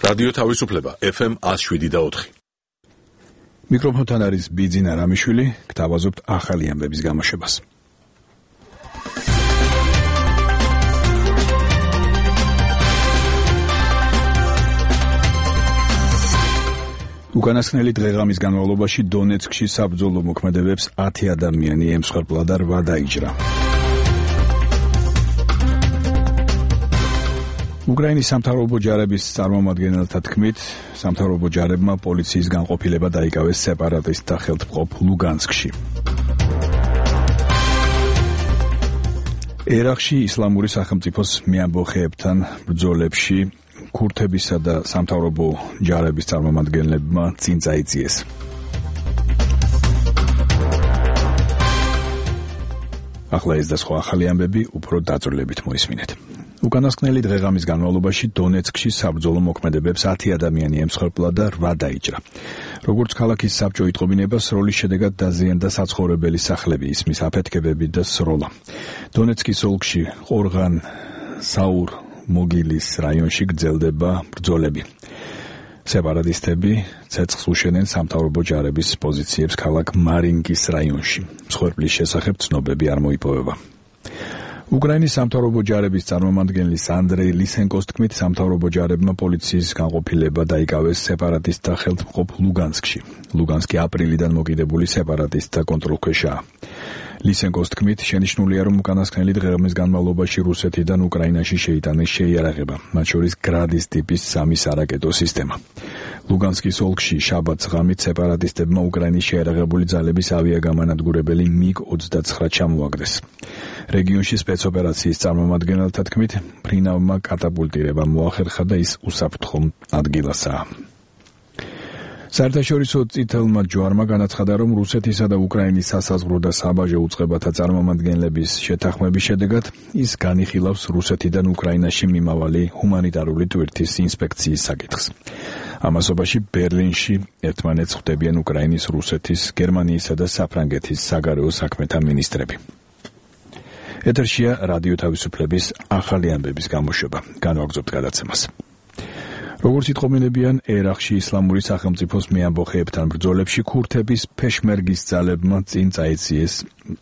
რადიო თავისუფლება FM 107.4. მიკროფონთან არის ბიძინა რამიშვილი, გთავაზობთ ახალი ამბების გამოშვებას. უკანასკნელი დღეღამის განმავლობაში დონეცკში საბრძოლო მოქმედებებს 10 ადამიანი ემსხვერპლა და 8 დაიჭრა. უკრაინის სამთავრობო ჯარების წარმომადგენელთა თქმით, სამთავრობო ჯარებმა პოლიციის განყოფილება დაიკავეს სეპარატისტთა ხელთმყოფ ლუგანსკში. ერაყში ისლამური სახელმწიფოს მეამბოხეებთან ბრძოლებში ქურთებისა და სამთავრობო ჯარების წარმომადგენლებმა წინ წაიწიეს. ახლა ეს და სხვა ახალი ამბები უფრო დაწვრილებით მოისმინეთ. უკანასკნელი დღეღამის განმავლობაში დონეცკში საბრძოლო მოქმედებებს 10 ადამიანი ემსხვერპლა და 8 დაიჭრა. როგორც ქალაქის საბჭო იტყობინებას, სროლის შედეგად დაზიანდა საცხოვრებელი სახლები, ისმის აფეთქებები და სროლა. დონეცკის ოლქში ყორღან საურ მოგილის რაიონში გრძელდება ბრძოლები. სეპარატისტები ცეცხლს უშენენ სამთავრობო ჯარების პოზიციებს ქალაქ მარინკის რაიონში. მსხვერპლის შესახებ ცნობები არ მოიპოვება. უკრაინის სამთავრობო ჯარების წარმომადგენლის ანდრეი ლისენკოს თქმით, სამთავრობო ჯარებმა პოლიციის განყოფილება დაიკავეს სეპარატისტთა ხელთმყოფ ლუგანსკში. ლუგანსკი აპრილიდან მოკიდებული სეპარატისტთა კონტროლქვეშაა. ლისენკოს თქმით, შენიშნულია, რომ უკანასკნელი დღეღამის განმავლობაში რუსეთიდან უკრაინაში შეიტანეს შეიარაღება, მათ შორის გრადის ტიპის 3 სარაკეტო სისტემა. ლუგანსკის ოლქში შაბათს ღამით სეპარატისტებმა უკრაინის შეიარაღებული ძალების ავიაგამანადგურებელი MiG-29 ჩამოაგდეს. რეგიონში სპეცოპერაციის წარმომადგენელთა თქმით, ფრინავმა კატაპულტირება მოახერხა და ის უსაფრთხო ადგილასაა. საერთაშორისო წითელმა ჯვარმა განაცხადა, რომ რუსეთისა და უკრაინის სასაზღვრო და საბაჟო უწყებათა წარმომადგენლების შეთანხმების შედეგად ის განიხილავს რუსეთიდან უკრაინაში მიმავალი ჰუმანიტარული ტვირთის ინსპექციის საკითხს. ამასობაში ბერლინში ერთმანეთს ხვდებიან უკრაინის, რუსეთის, გერმანიისა და საფრანგეთის საგარეო საქმეთა მინისტრები. ეთერშია რადიო თავისუფლების ახალი ამბების გამოშვება. განვაგრძობთ გადაცემას. როგორც იტყობინებიან, ერაყში ისლამური სახელმწიფოს მეამბოხეებთან ბრძოლებში ქურთების ფეშმერგის ძალებმა წინ წაეციეს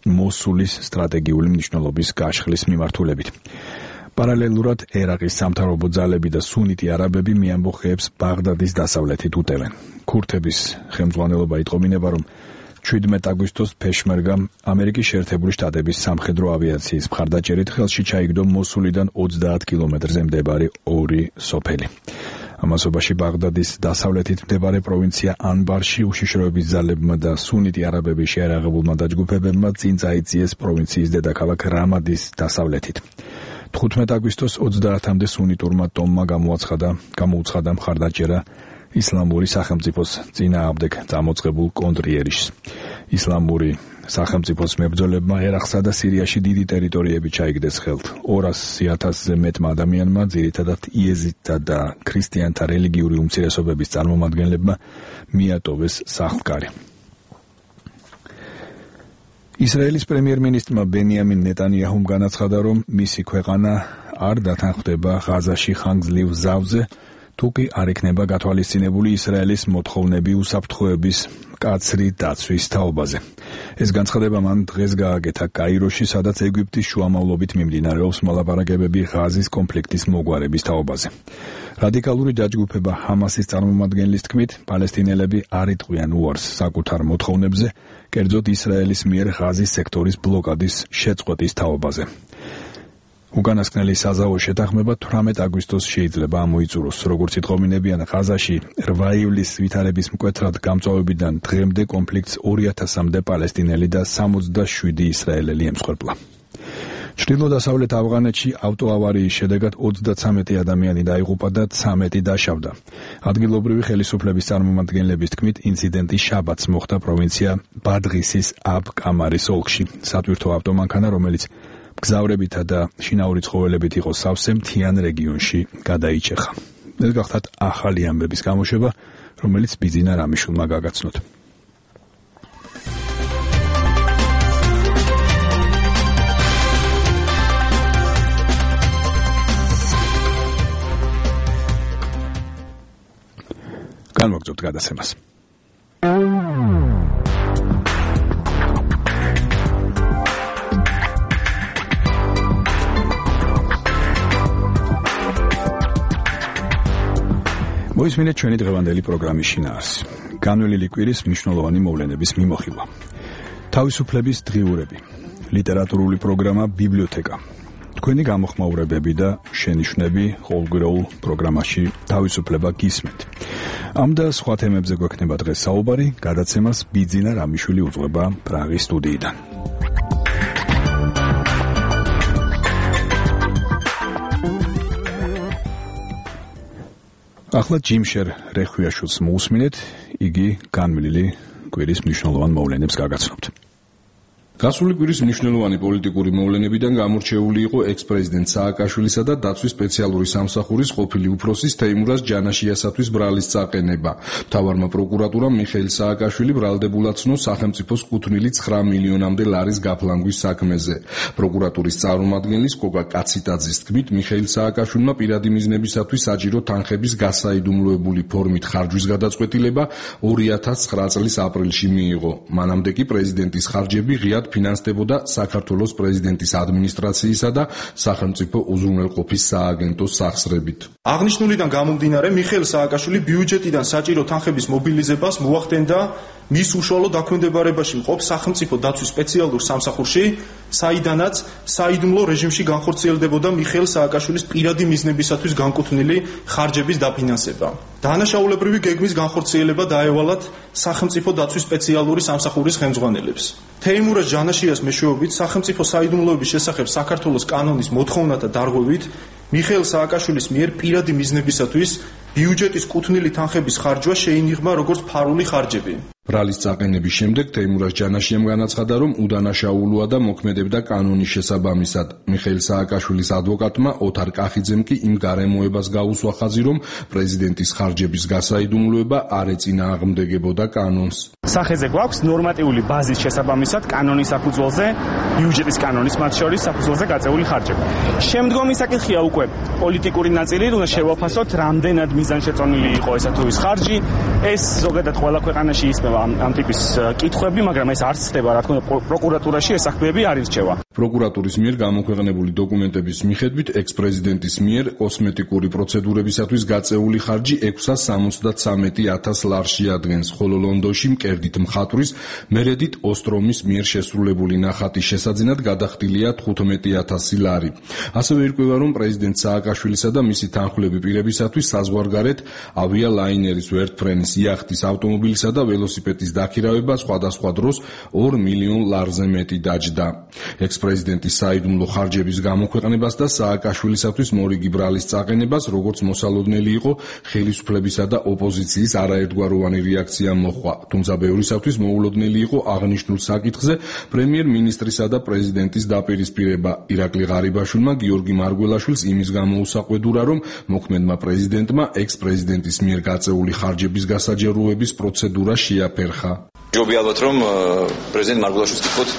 მოსულის სტრატეგიული მნიშვნელობის გაშხლის მიმართულებით. პარალელურად ერაყის სამთავრობო ძალები და სუნიტი არაბები მეამბოხეებს ბაღდადის დასავლეთით უტევენ. ქურთების ხელმძღვანელობა იტყობინება, რომ 17 აგვისტოს ფეშმერგამ ამერიკის შეერთებული შტატების სამხედრო ავიაციის მხარდაჭერით ხელში ჩაიგდო მოსულიდან 30 კილომეტრზე მდებარე 2 სოფელი. ამასობაში ბაღდადის დასავლეთით მდებარე პროვინცია ანბარში უშიშროების ძალებმა და სუნიტი არაბების შეიარაღებულმა დაჯგუფებებმა წინ წაიწიეს პროვინციის დედაქალაქ რამადის დასავლეთით. 15 აგვისტოს 30-მდე სუნიტურმა ტომმა გამოუცხადა მხარდაჭერა ისლამური სახელმწიფოს წინააღმდეგ წამოწყებულ კონტრიერიშს. ისლამური სახელმწიფოს მებრძოლებმა ერაყსა და სირიაში დიდი ტერიტორიები ჩაიგდეს ხელთ. 200,000-ზე მეტმა ადამიანმა, ძირითადად იეზიდთა და ქრისტიანთა რელიგიური უმცირესობების წარმომადგენლებმა მიატოვეს სახლ-კარი. ისრაელის პრემიერ-მინისტრმა ბენიამინ ნეტანიაჰუმ განაცხადა, რომ მისი ქვეყანა არ დათანხმდება ღაზაში ხანგრძლივ ზავზე, თუკი არ იქნება გათვალისწინებული ისრაელის მოთხოვნები უსაფრთხოების მკაცრი დაცვის თაობაზე. ეს განცხადება მან დღეს გააკეთა კაიროში, სადაც ეგვიპტის შუამავლობით მიმდინარეობს მოლაპარაკებები ღაზის კონფლიქტის მოგვარების თაობაზე. რადიკალური დაჯგუფება ჰამასის წარმომადგენლის თქმით, პალესტინელები არ იტყვიან უარს საკუთარ მოთხოვნებზე, კერძოდ ისრაელის მიერ ღაზის სექტორის ბლოკადის შეწყვეტის თაობაზე. უკანასკნელი საზავო შეთანხმება 18 აგვისტოს შეიძლება ამოიწუროს. როგორც იტყობინებიან, ღაზაში 8 ივლისის ვითარების მკვეთრად გამწვავებიდან დღემდე კონფლიქტს 2000-მდე პალესტინელი და 67 ისრაელელი ემსხვერპლა. ჩრდილო-დასავლეთ ავღანეთში ავტოავარიის შედეგად 33 ადამიანი დაიღუპა და 13 დაშავდა. ადგილობრივი ხელისუფლების წარმომადგენლების თქმით, ინციდენტი შაბათს მოხდა პროვინცია ბადღისის აბ-კამარის ოლქში. სატვირთო ავტომანქანა, რომელიც გზავრებითა და შინაური ცხოველებით იყო სავსე, მთიან რეგიონში გადაიჭეხა. ეს გახლავთ ახალი ამბების გამოშვება, რომელიც ბიძინა რამიშვილმა გაგაცნოთ. განვაგრძობთ გადაცემას. მოისმინეთ ჩვენი დღევანდელი პროგრამის შინაარსი. განვლილი კვირის მნიშვნელოვანი მოვლენების მიმოხილვა. თავისუფლების დღიურები. ლიტერატურული პროგრამა ბიბლიოთეკა. თქვენი გამოხმაურებები და შენიშვნები ყოველგვარულ პროგრამაში თავისუფლება გისმენთ. ამ და სხვა თემებზე გვექნება დღეს საუბარი, გადაცემას ბიძინა რამიშვილი უძღვება პრაღის სტუდიიდან. ახლა ჯიმშერ რეხვიაშვილს მოусმინეთ, იგი განვლილი კვირის მნიშვნელოვან მოვლენებს გაგაცნობთ. გასული კვირის მნიშვნელოვანი პოლიტიკური მოვლენებიდან გამორჩეული იყო ექს-პრეზიდენტ სააკაშვილისა და დაცვის სპეციალური სამსახურის ყოფილი უფროსის თეიმურაზ ჯანაშიასათვის ბრალის წაყენება. მთავარმა პროკურატურამ მიხეილ სააკაშვილი ბრალდებულად ცნო სახელმწიფოს კუთვნილი 9 მილიონამდე ლარის გაფლანგვის საქმეზე. პროკურატურის წარმომადგენლის კოკა კაციტაძის თქმით, მიხეილ სააკაშვილმა პირადი მიზნებისათვის საჭირო თანხების გასაიდუმლოებული ფორმით ხარჯვის გადაწყვეტილება 2009 წლის აპრილში მიიღო. მანამდე კი პრეზიდენტის ხარჯები ღიად ფინანსდებოდა საქართველოს პრეზიდენტის ადმინისტრაციისა და სახელმწიფო უზრუნველყოფის სააგენტოს სახსრებით. აღნიშნულიდან გამომდინარე, მიხეილ სააკაშვილი ბიუჯეტიდან საჭირო თანხების მობილიზებას მოახდენდა მის უშუალო დაქვემდებარებაში მყოფ სახელმწიფო დაცვის სპეციალურ სამსახურში, საიდანაც საიდუმლო რეჟიმში განხორციელდებოდა მიხეილ სააკაშვილის პირადი მიზნებისათვის განკუთვნილი ხარჯების დაფინანსება. დანაშაულებრივი გეგმის განხორციელება დაევალათ სახელმწიფო დაცვის სპეციალური სამსახურის ხელმძღვანელებს. თეიმურაზ ჯანაშიას მეშვეობით სახელმწიფო საიდუმლოების შესახებ საქართველოს კანონის მოთხოვნათა დარღვევით მიხეილ სააკაშვილის მიერ პირადი მიზნებისათვის ბიუჯეტის კუთვნილი თანხების ხარჯვა შეინიღმა როგორც ფარული ხარჯები. ბრალის წაყენების შემდეგ თეიმურაზ ჯანაშიამ განაცხადა, რომ უდანაშაულოა და მოქმედებდა კანონის შესაბამისად. მიხეილ სააკაშვილის ადვოკატმა ოთარ კახიძემ კი იმ გარემოებას გაუსვა ხაზი, რომ პრეზიდენტის ხარჯების გასაიდუმლოება არ ეწინააღმდეგებოდა კანონს. სახეზე გვაქვს ნორმატიული ბაზის შესაბამისად კანონის საფუძველზე, ბიუჯეტის კანონის მათ შორის საფუძველზე გაწეული ხარჯები. შემდგომი საკითხია უკვე პოლიტიკური ნაწილი, უნდა შევაფასოთ, რამდენად მიზანშეწონილი იყო ესა თუ ის ხარჯი. ეს ზოგადად ყველა ქვეყანაში ისმევა ამ ტიპის კითხვები, მაგრამ ეს არ ცდება, რა თქმა უნდა, პროკურატურაში ეს საქმეები არ ირჩევა. პროკურატურის მიერ გამოქვეყნებული დოკუმენტების მიხედვით, ექს-პრეზიდენტის მიერ კოსმეტიკური პროცედურებისათვის გაწეული ხარჯი 673,000 ლარს შეადგენს, ხოლო ლონდონში მკერდით მხატვრის მერედით ოსტრომის მიერ შესრულებული ნახატის შესაძენად გადახდილია 15,000 ლარი. ასევე ირკვევა, რომ პრეზიდენტ სააკაშვილისა და მისი თანხმლები პირებისათვის საზღვარგარეთ ავიალაინერის ვერტფრენის იახტის ავტომობილისა და ველოსიპედის დაქირავება სხვადასხვა დროს 2 მილიონ ლარზე მეტი დაჯდა. ექს-პრეზიდენტის საიდუმლო ხარჯების გამოქვეყნებას და სააკაშვილისათვის მორიგი ბრალის წაყენებას, როგორც მოსალოდნელი იყო, ხელისუფლებისა და ოპოზიციის არაერთგვაროვანი რეაქცია მოჰყვა. თუმცა ბევრისათვის მოულოდნელი იყო აღნიშნულ საკითხზე პრემიერ-მინისტრისა და პრეზიდენტის დაპირისპირება. ირაკლი ღარიბაშვილმა გიორგი მარგველაშვილს იმის გამო უსაყვედურა, რომ მოქმედმა პრეზიდენტმა ექს-პრეზიდენტის მიერ გაწეული ხარჯების გასაჯეროების პროცედურა შეაფერხა. ჯობია ალბათ რომ პრეზიდენტ მარგველაშვილს ვთქვათ,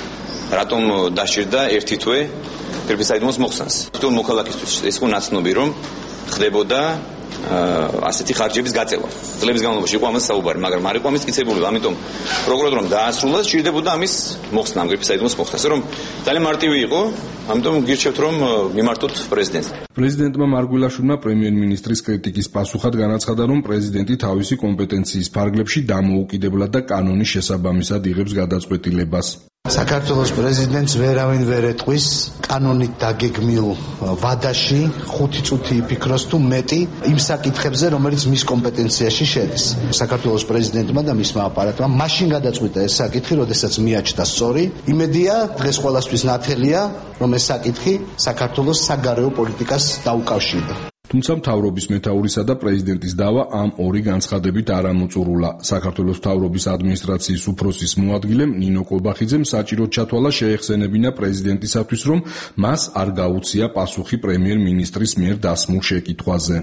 რატომ დასჭირდა ერთი თვე ფერფისაიდმოს მოხსნას. თვითონ მოქალაქისთვის ეს იყო ნაცნობი, რომ ხდებოდა ასეთი ხარჯების გაწევა. წლების განმავლობაში იყო ამას საუბარი, მაგრამ არ იყო ამის მტკიცებული, ამიტომ პროკურატურამ დაასრულა, სჭირდებოდა ამის მოხსნა, ამ ფერფისაიდმოს მოხსნა, რომ ძალიან მარტივი იყო, ამიტომ გირჩევთ რომ მიმართოთ პრეზიდენტს. პრეზიდენტმა მარგველაშვილმა პრემიერ-მინისტრის კრიტიკის პასუხად განაცხადა, რომ პრეზიდენტი თავისი კომპეტენციის ფარგლებში დამოუკიდებლად და კანონის შესაბამისად იღებს გადაწყვეტილებას. საქართველოს პრეზიდენტს ვერავინ ვერ ეტყვის კანონით დაგეგმილ ვადაში 5 წუთი იფიქროს თუ მეტი იმ საკითხებზე, რომელიც მის კომპეტენციაში შედის. საქართველოს პრეზიდენტმა და მისმა აპარატმა მაშინ გადაწყვიტა ეს საკითხი, როდესაც მიაჩნდა სწორი. იმედია, დღეს ყველასთვის ნათელია, რომ ეს საკითხი საქართველოს საგარეო პოლიტიკას დაუკავშირდა. თუმცა მთავრობის მეთაურისა და პრეზიდენტის დავა ამ ორი განცხადებით არ ამოწურულა. საქართველოს მთავრობის ადმინისტრაციის უფროსის მოადგილემ ნინო კობახიძემ საჭიროდ ჩათვალა შეეხსენებინა პრეზიდენტისათვის, რომ მას არ გაუწია პასუხი პრემიერ-მინისტრის მიერ დასმულ შეკითხვაზე.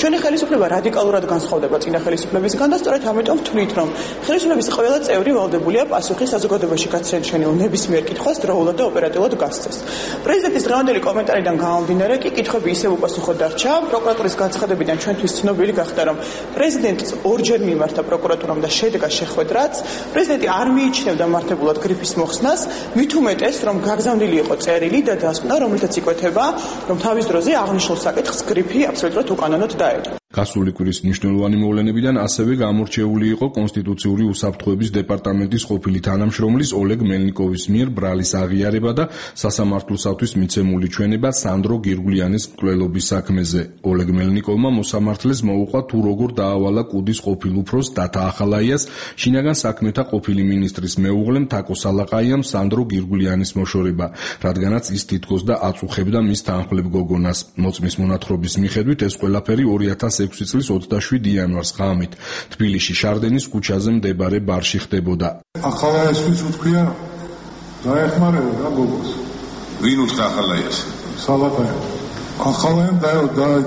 ჩვენი ხელისუფლება რადიკალურად განსხვავდება წინა ხელისუფლებისგან და სწორედ ამიტომ ვთვლით, რომ ხელისუფლების ყველა წევრი ვალდებულია პასუხი საზოგადოებაში გაცემშენილ ნებისმიერ კითხვას დროულად და ოპერატიულად გასცეს. პრეზიდენტის დღევანდელი კომენტარიდან გამომდინარე კი კითხვები ისევ უპასუხოდ დარჩა. პროკურატურის განცხადებიდან ჩვენთვის ცნობილი გახდა, რომ პრეზიდენტს ორჯერ მიმართა პროკურატურამ და შედგა შეხვედრაც. პრეზიდენტი არ მიიჩნევდა მართებულად გრიფის მოხსნას, მით უმეტეს, რომ გაგზავნილი იყო წერილი და დასკვნა, რომელთაც იკვეთება, რომ თავის დროზე აღნიშნულ საკითხს გრიფი აბსოლუტურად უკანონოდ დაეჭა. გასული კვირის მნიშვნელოვანი მოვლენებიდან ასევე გამორჩეული იყო კონსტიტუციური უსაფრთხოების დეპარტამენტის ყოფილი თანამშრომლის ოლეგ მელნიკოვის მიერ ბრალის აღიარება და სასამართლოსათვის მიცემული ჩვენება სანდრო გირგულიანის მკვლელობის საქმეზე. ოლეგ მელნიკოვმა მოსამართლეს მოუყვა თუ როგორ დაავალა კუდის ყოფილ უფროს დათა ახალაიას შინაგან საქმეთა ყოფილი მინისტრის მეუღლემ თაკო სალაყაიამ სანდრო გირგულიანის მოშორება, რადგანაც ის თითქოს და აწუხებდა მის თანმხლებ გოგონას. მოწმის მონათხრობის მიხედვით ეს ყველაფერი 2006 წლის 27 იანვარს ღამით თბილისში შარდენის ქუჩაზე მდებარე ბარში ხდებოდა. ახალაიასთვის უთქვია დაეხმარება რა გოგოს. ვინ უთხრა ახალაიას? სალაყაია. ახალაიამ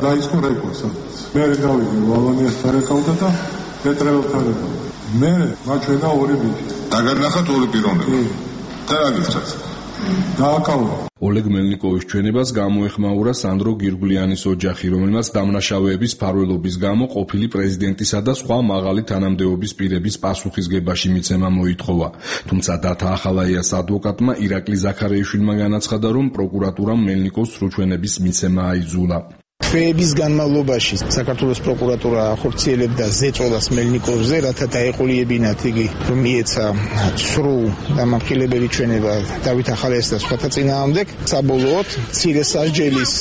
დაიწყო რეკვესა. მე გავიდი ვალანიას თარეკავდა და პეტრელთან ერთად. მე მაჩვენა ორი ბიჭი. დაგანახათ ორი პიროვნება. და რა გიჩვენეთ? დააკავლა. ოლეგ მელნიკოვის ჩვენებას გამოეხმაურა სანდრო გირგულიანის ოჯახი, რომელმაც დამნაშავეების ფარველობის გამო ყოფილი პრეზიდენტისა და სხვა მაღალი თანამდებობის პირების პასუხისგებაში მიცემა მოითხოვა. თუმცა დათა ახალაიას ადვოკატმა ირაკლი ზაქარიაშვილმა განაცხადა, რომ პროკურატურამ მელნიკოვს სრუჩვენების მიცემა აიძულა. თვეების განმავლობაში საქართველოს პროკურატურა ახორციელებდა ზეწოლას მელნიკოვზე, რათა დაეყოლიებინათ იგი, რომ მიეცა სრულ დამამხილებელი ჩვენება დავით ახალაიას და სხვათა წინააღმდეგ. საბოლოოდ მცირე სასჯელის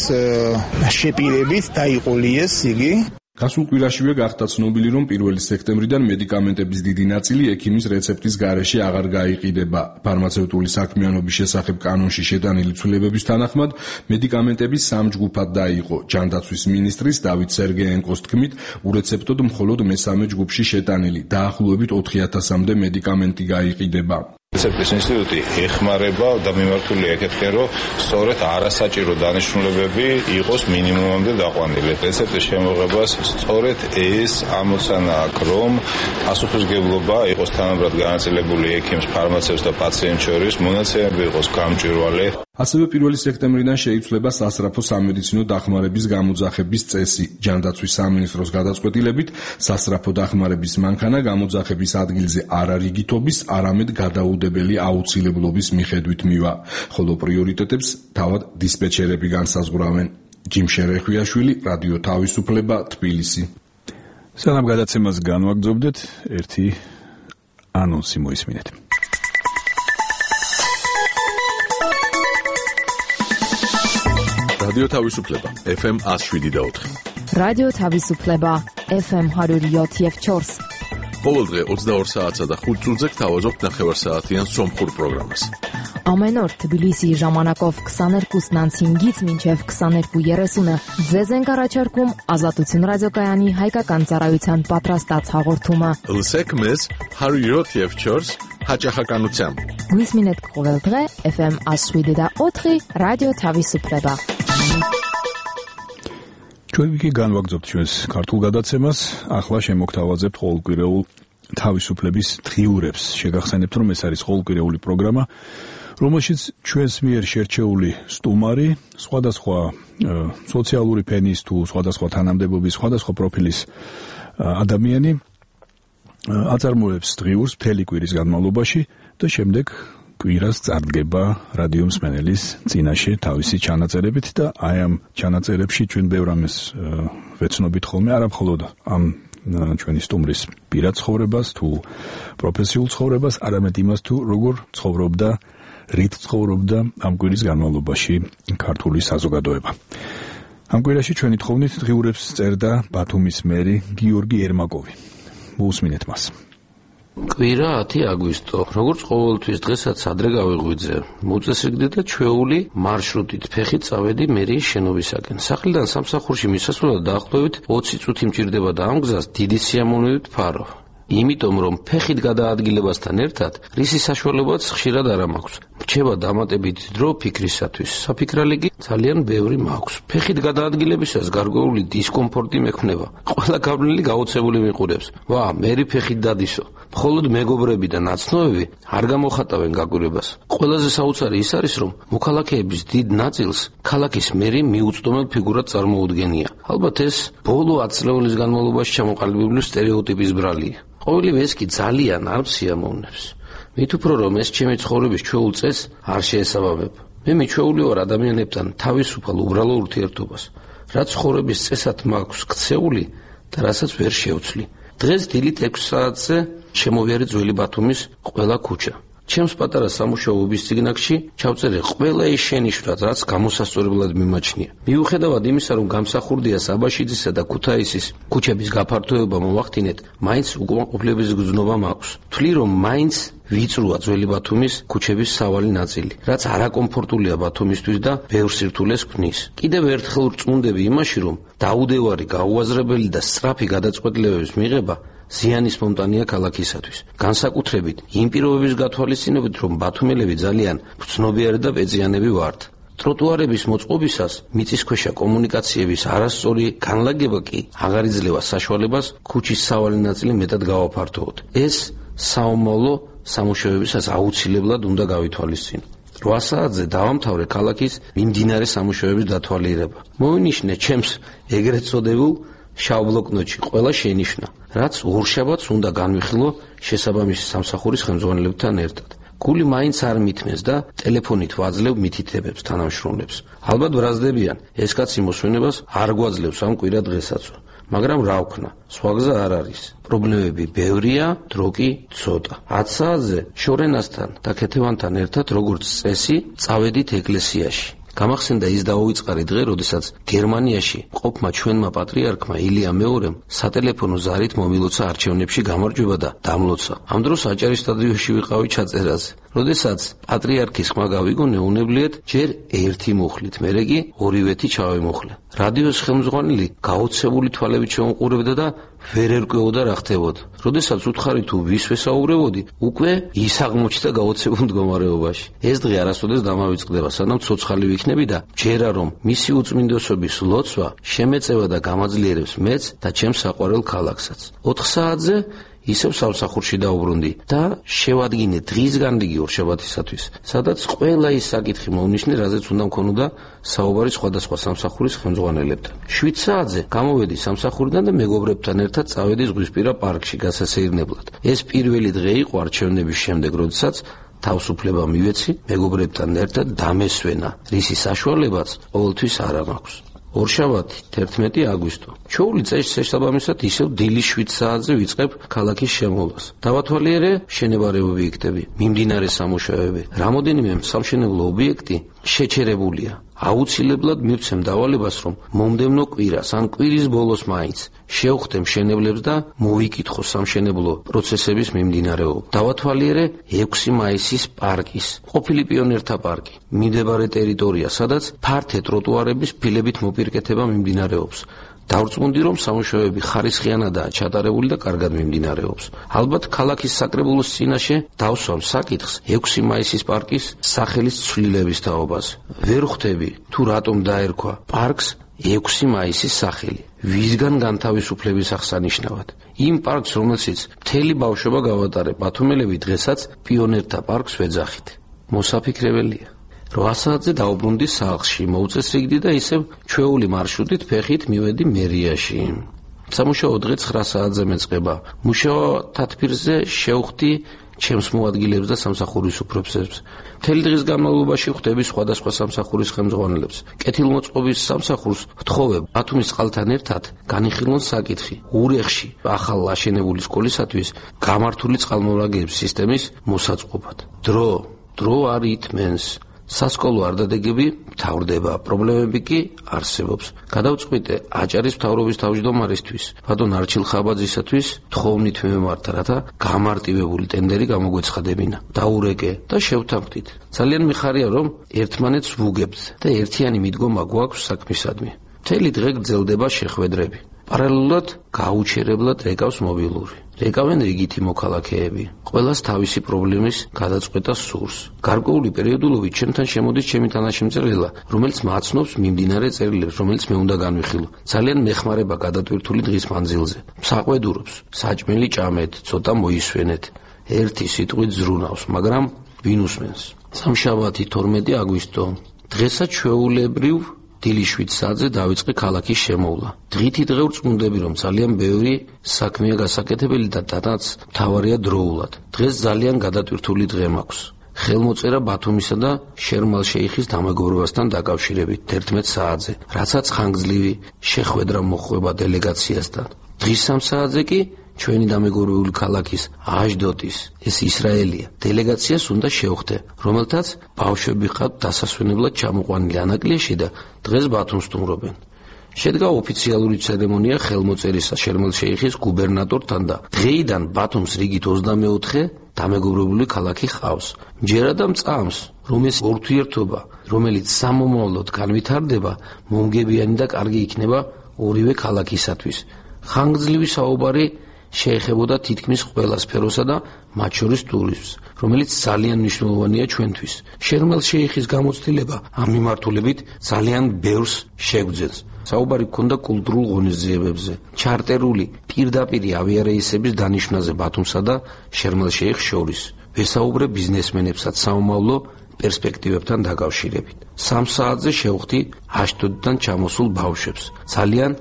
შეპირებით დაიყოლიეს იგი. გასულ კვირაშივე გახდა ცნობილი, რომ 1 სექტემბრიდან მედიკამენტების დიდი ნაწილი ექიმის რეცეპტის გარეშე აღარ გაიყიდება. ფარმაცევტული საქმიანობის შესახებ კანონში შეტანილი ცვლილებების თანახმად, მედიკამენტები 3 ჯგუფად დაიყო. ჯანდაცვის მინისტრის დავით სერგეენკოს თქმით, ურეცეპტოდ მხოლოდ მესამე ჯგუფში შეტანილი, დაახლოებით 4000-მდე მედიკამენტი გაიყიდება. რეცეპტის ინსტიტუტი ეხმარება და მიმართულია ეკეთქენ, რომ სწორედ არასაჭირო დანიშნულებები იყოს მინიმუმამდე დაყვანილი. რეცეპტის შემოღებას სწორედ ეს ამოცანა აქვს, რომ პასუხისმგებლობა იყოს თანაბრად განაწილებული ექიმს, ფარმაცევტს და პაციენტს შორის, მონაცემები იყოს გამჭვირვალე. ასევე 1 სექტემბრიდან შეიცვლება სასწრაფო სამედიცინო დახმარების გამოძახების წესი. ჯანდაცვის სამინისტროს გადაწყვეტილებით სასწრაფო დახმარების მანქანა გამოძახების ადგილზე არა რიგითობის, არამედ გადაუდებელი აუცილებლობის მიხედვით მივა, ხოლო პრიორიტეტებს თავად დისპეჩერები განსაზღვრავენ. ჯიმშე რეხვიაშვილი, რადიო თავისუფლება, თბილისი. სანამ გადაცემას განვაგრძობდეთ, ერთი ანონსი მოისმინეთ. რადიო თავისუფლება FM 107.4. რადიო თავისუფლება FM 107.4. ყოველდღე 22 საათსა და 5 წუთზე გთავაზობთ ნახევარსაათიან სომხურ პროგრამას. Ամեն օր Թբիլիսի ժամանակով 22:05-ից մինչև 22:30 ձեզ ենք առաջարկում Ազատություն ռադիոկայանի հայկական ծառայության պատրաստած հաղորդումը։ Լսեք մեզ 107.4 հաճախականությամբ։ Գույսմինետ կողելդղե FM 107.4 ռադիո Թավիսուպլեբա։ Ჩვენი განვაგრძობთ ჩვენს ქართულ გადაცემას, ახლა შემოგთავაზებთ ყოველკვირეულ თავისუფლების დღიურებს. შეგახსენებთ, რომ ეს არის ყოველკვირეული პროგრამა, რომელშიც ჩვენს მიერ შერჩეული სტუმარი, სხვადასხვა სოციალური ფენის თუ სხვადასხვა თანამდებობის, სხვადასხვა პროფილის ადამიანი აწარმოებს დღიურს მთელი კვირის განმავლობაში და შემდეგ კვირას წარდგება რადიო მსმენელის წინაშე თავისი ჩანაწერებით და აი ამ ჩანაწერებში ჩვენ ბევრ ამას ვეცნობით ხოლმე, არა მხოლოდ ამ ჩვენი სტუმრის პირად ცხოვრებას თუ პროფესიულ ცხოვრებას, არამედ იმას თუ როგორ ცხოვრობდა, რით ცხოვრობდა ამ კვირის განმავლობაში ქართული საზოგადოება. ამ კვირაში ჩვენი თხოვნით დღიურებს წერდა ბათუმის მერი გიორგი ერმაკოვი. მოусმინეთ მას. კვირა 10 აგვისტო. როგორც ყოველთვის დღესაც ადრე გავიღვიძე. მოწესრიგდი და ჩვეული მარშრუტით ფეხით წავედი მერიის შენობისაკენ. სახლიდან სამსახურში მისასვლელად დაახლოებით 20 წუთი მჭირდება და ამ გზას დიდი სიამოვნებით ვფარავ. იმიტომ რომ ფეხით გადაადგილებასთან ერთად რისი საშუალებაც ხშირად არ მაქვს. რჩება დამატებითი დრო ფიქრისათვის. საფიქრალი კი ძალიან ბევრი მაქვს. ფეხით გადაადგილებისას გარკვეული დისკომფორტი მექმნება. ყველა გავლილი გაოცებული მიყურებს. ვა, მერი ფეხით დადისო. მხოლოდ მეგობრები და ნაცნობები არ გამოხატავენ გაკვირვებას. ყველაზე საოცარი ის არის, რომ მოქალაქეების დიდ ნაწილს ქალაქის მერი მიუწვდომელ ფიგურად წარმოუდგენია. ალბათ ეს ბოლო 10 წლების განმავლობაში ჩამოყალიბებული სტერეოტიპის ბრალია. ყოველივე ეს კი ძალიან არ სიამოვნებს. მით უფრო რომ ეს ჩემი ცხოვრების ჩვეულ წესს არ შეესაბამება. მე მიჩვეული ვარ ადამიანებთან თავისუფალ უბრალო ურთიერთობას, რაც ცხოვრების წესად მაქვს ქცეული და რასაც ვერ შევცვლი. დღეს დილით 6 საათზე შემოვიარე ძველი ბათუმის ყველა ქუჩა. ჩემს პატარა სამუშაო უბისწიგნაკში ჩავწერე ყველა ის შენიშვნა, რაც გამოსასწორებლად მიმაჩნია. მიუხედავად იმისა, რომ გამსახურდია საბაშიძისა და ქუთაისის ქუჩების გაფართოება მოვახდინეთ, მაინც უკმაყოფილების გრძნობა მაქვს. ვთვლი, რომ მაინც ვიწრუა ძველი ბათუმის ქუჩების სავალი ნაწილი, რაც არაკომფორტულია ბათუმისთვის და ბევრ სირთულეს ქმნის. კიდევ ერთხელ ვწმუნდები იმაში, რომ დაუდევარი, გაუაზრებელი და სწრაფი გადაწყვეტილებების მიღება ზიანის მომტანია ქალაქისათვის. განსაკუთრებით იმ პირობების გათვალისწინებით, რომ ბათუმელები ძალიან ფცნობიარი და პეწიანები ვართ. ტროტუარების მოწყობისას მიწისქვეშა კომუნიკაციების არასწორი განლაგება კი აღარ იძლევა საშუალებას ქუჩის სავალი ნაწილი მეტად გავაფართოვოთ. ეს საომავლო სამუშაოებისას აუცილებლად უნდა გავითვალისწინო. 8 საათზე დავამთავრე ქალაქის მიმდინარე სამუშაოების დათვალიერება. მოვინიშნე ჩემს ეგრეთ წოდებულ შავ ბლოკნოტში ყველა შენიშვნა, რაც ორშაბათს უნდა განვიხილო შესაბამისი სამსახურის ხელმძღვანელებთან ერთად. გული მაინც არ მithმეს და ტელეფონით ვაძლევ მითითებებს თანამშრომლებს. ალბათ ბრაზდებიან, ეს კაცი მოსვენებას არ გვაძლევს ამ კვირა დღესაც. მაგრამ რა ვქნა, სხვა გზა არ არის. პრობლემები ბევრია, დრო კი ცოტა. 10 საათზე შორენასთან და ქეთევანთან ერთად როგორც წესი წავედით ეკლესიაში. გამახსენდა ის დაუვიწყარი დღე, როდესაც გერმანიაში ყოფმა ჩვენმა პატრიარქმა ილია მეორემ სატელეფონო ზარით მომილოცა არჩევნებში გამარჯვება და დამლოცა. ამ დროს აჭარის სტადიონში ვიყავი ჩაწერაზე. როდესაც პატრიარქის ხმა გავიგონე, უნებლიეთ ჯერ ერთი მოხლით, მერე კი ორივეთი ჩავემოხლე. რადიოს ხელმძღვანელი გაოცებული თვალებით შეუმყურებდა და ვერ ერკვეოდა რა ხდებოდა. როდესაც უთხარი თუ ვის ვესაუბრებოდი, უკვე ის აღმოჩნდა გაოცებულ მდგომარეობაში. ეს დღე არასოდეს დამავიწყდება, სანამ ცოცხალი ვიქნები და ჯერა რომ მისი უწმინდესობის ლოცვა შემეწევა და გამაძლიერებს მეც და ჩემს საყვარელ ქალაქსაც. 4 საათზე ისევ სამსახურში დავუბრუნდი და შევადგინე დღის განრიგი ორშაბათისათვის, სადაც ყველა ის საკითხი მოვნიშნე, რაზეც უნდა მქონოდა საუბარი სხვადასხვა სამსახურის ხელმძღვანელებთან. 7 საათზე გამოვედი სამსახურიდან და მეგობრებთან ერთად წავედი ზღვისპირა პარკში გასასეირნებლად. ეს პირველი დღე იყო არჩევნების შემდეგ, როდესაც თავისუფლება მივეცი, მეგობრებთან ერთად დამესვენა, რისი საშუალებაც ყოველთვის არ მაქვს. ორშაბათი 11 აგვისტო. ჩვეული წესის შესაბამისად ისევ დილის 7 საათზე ვიწყებ ქალაქის შემოვლას. დავათვალიერე შენებარე ობიექტები, მიმდინარე სამუშაოები. რამოდენიმე სამშენებლო ობიექტი შეჩერებულია. აუცილებლად მივცემ დავალებას, რომ მომდევნო კვირას ან კვირის ბოლოს მაინც შევხვდე მშენებლებს და მოვიკითხო სამშენებლო პროცესების მიმდინარეობა. დავათვალიერე 6 მაისის პარკის, ყოფილი პიონერთა პარკი, მიმდებარე ტერიტორია, სადაც ფართე ტროტუარების ფილებით მოპირკეთება მიმდინარეობს. დავწმუნდი, რომ სამუშაოები ხარისხიანადაა ჩატარებული და კარგად მიმდინარეობს. ალბათ ქალაქის საკრებულოს წინაშე დავსვამ საკითხს 6 მაისის პარკის სახელის ცვლილების თაობაზე. ვერ ხვდები თუ რატომ დაერქვა პარკს 6 მაისის სახელი. ვისგან განთავისუფლების აღსანიშნავად. იმ პარკს, რომელშიც მთელი ბავშვობა გავატარე, ბათუმელები დღესაც პიონერთა პარკს ვეძახით. მოსაფიქრებელია. 8 საათზე დავუბრუნდი სახლში, მოვწესრიგდი და ისევ ჩვეული მარშრუტით ფეხით მივედი მერიაში. სამუშაო დღე 9 საათზე მეწყება. მუშაო თათბირზე შევხვდი ჩემს მოადგილებს და სამსახურის უფროსებს. მთელი დღის განმავლობაში ხვდები სხვადასხვა სამსახურის ხელმძღვანელებს. კეთილმოწყობის სამსახურს ვთხოვებ ბათუმის წყალთან ერთად განიხილონ საკითხი ურეხში ახალ აშენებული სკოლისათვის გამართული წყალმომრაგების სისტემის მოსაწყობად. დრო არ ითმენს. სასკოლო არდადეგები მთავრდება, პრობლემები კი არსებობს. გადავწყვიტე აჭარის მთავრობის თავმჯდომარისთვის, ბატონ არჩილ ხაბაძისათვის თხოვნით მიმართა, რათა გამარტივებული ტენდერი გამოგვეცხადებინა. დაურეკე და შევთანხმდით. ძალიან მიხარია, რომ ერთმანეთს ვუგებთ და ერთიანი მიდგომა გვაქვს საქმისადმი. მთელი დღე გრძელდება შეხვედრები. პარალელურად გაუჩერებლად ეკავს მობილური. რეკავენ რიგითი მოქალაქეები. ყველას თავისი პრობლემის გადაწყვეტა სურს. გარკვეული პერიოდულობით ჩემთან შემოდის ჩემი თანაშემწე, რომელიც მაცნობს მიმდინარე წერილებს, რომელიც მე უნდა განვიხილო. ძალიან მეხმარება გადატვირთული დღის მანძილზე. საყვედურობს, საჭმელი ჭამეთ, ცოტა მოისვენეთ. ერთი სიტყვით ზრუნავს, მაგრამ ვინ უსმენს? სამშაბათი 12 აგვისტო. დღესაც ჩვეულებრივ დილის 7 საათზე დავიწყე ქალაქის შემოვლა. დღითი დღე ვწმუნდები, რომ ძალიან ბევრი საქმეა გასაკეთებელი და დადაც მთავარია დროულად. დღეს ძალიან გადატვირთული დღე მაქვს. ხელმოწერა ბათუმისა და შერმალ-შეიხის დამეგობრებასთან დაკავშირებით 11 საათზე, რასაც ხანგრძლივი შეხვედრა მოჰყვება დელეგაციასთან. დღის 3 საათზე კი ჩვენი დამეგობრებული ქალაქის აშდოდის, ეს ისრაელია, დელეგაციას უნდა შევხვდე, რომელთაც ბავშვები ყავთ დასასვენებლად ჩამოყვანილი ანაკლიაში და დღეს ბათუმს სტუმრობენ. შედგა ოფიციალური ცერემონია ხელმოწერისა შერმალ-შეიხის გუბერნატორთან და დღეიდან ბათუმს რიგით 24 დამეგობრებული ქალაქი ყავს. მჯერა და მწამს, რომ ეს ურთიერთობა, რომელიც სამომავლოდ განვითარდება, მომგებიანი და კარგი იქნება ორივე ქალაქისათვის. ხანგრძლივი საუბარი შეეხებოდა თითქმის ყველა სფეროსა და მათ შორის ტურიზმს, რომელიც ძალიან მნიშვნელოვანია ჩვენთვის. შერმალ-შეიხის გამოცდილება ამ მიმართულებით ძალიან ბევრს შეგვძენს. საუბარი ჰქონდა კულტურულ ღონისძიებებზე, ჩარტერული პირდაპირი ავიარეისების დანიშვნაზე ბათუმსა და შერმალ-შეიხს შორის. ვესაუბრე ბიზნესმენებსაც სამომავლო პერსპექტივებთან დაკავშირებით. 3 საათზე შევხვდი აშდოდიდან ჩამოსულ ბავშვებს. ძალიან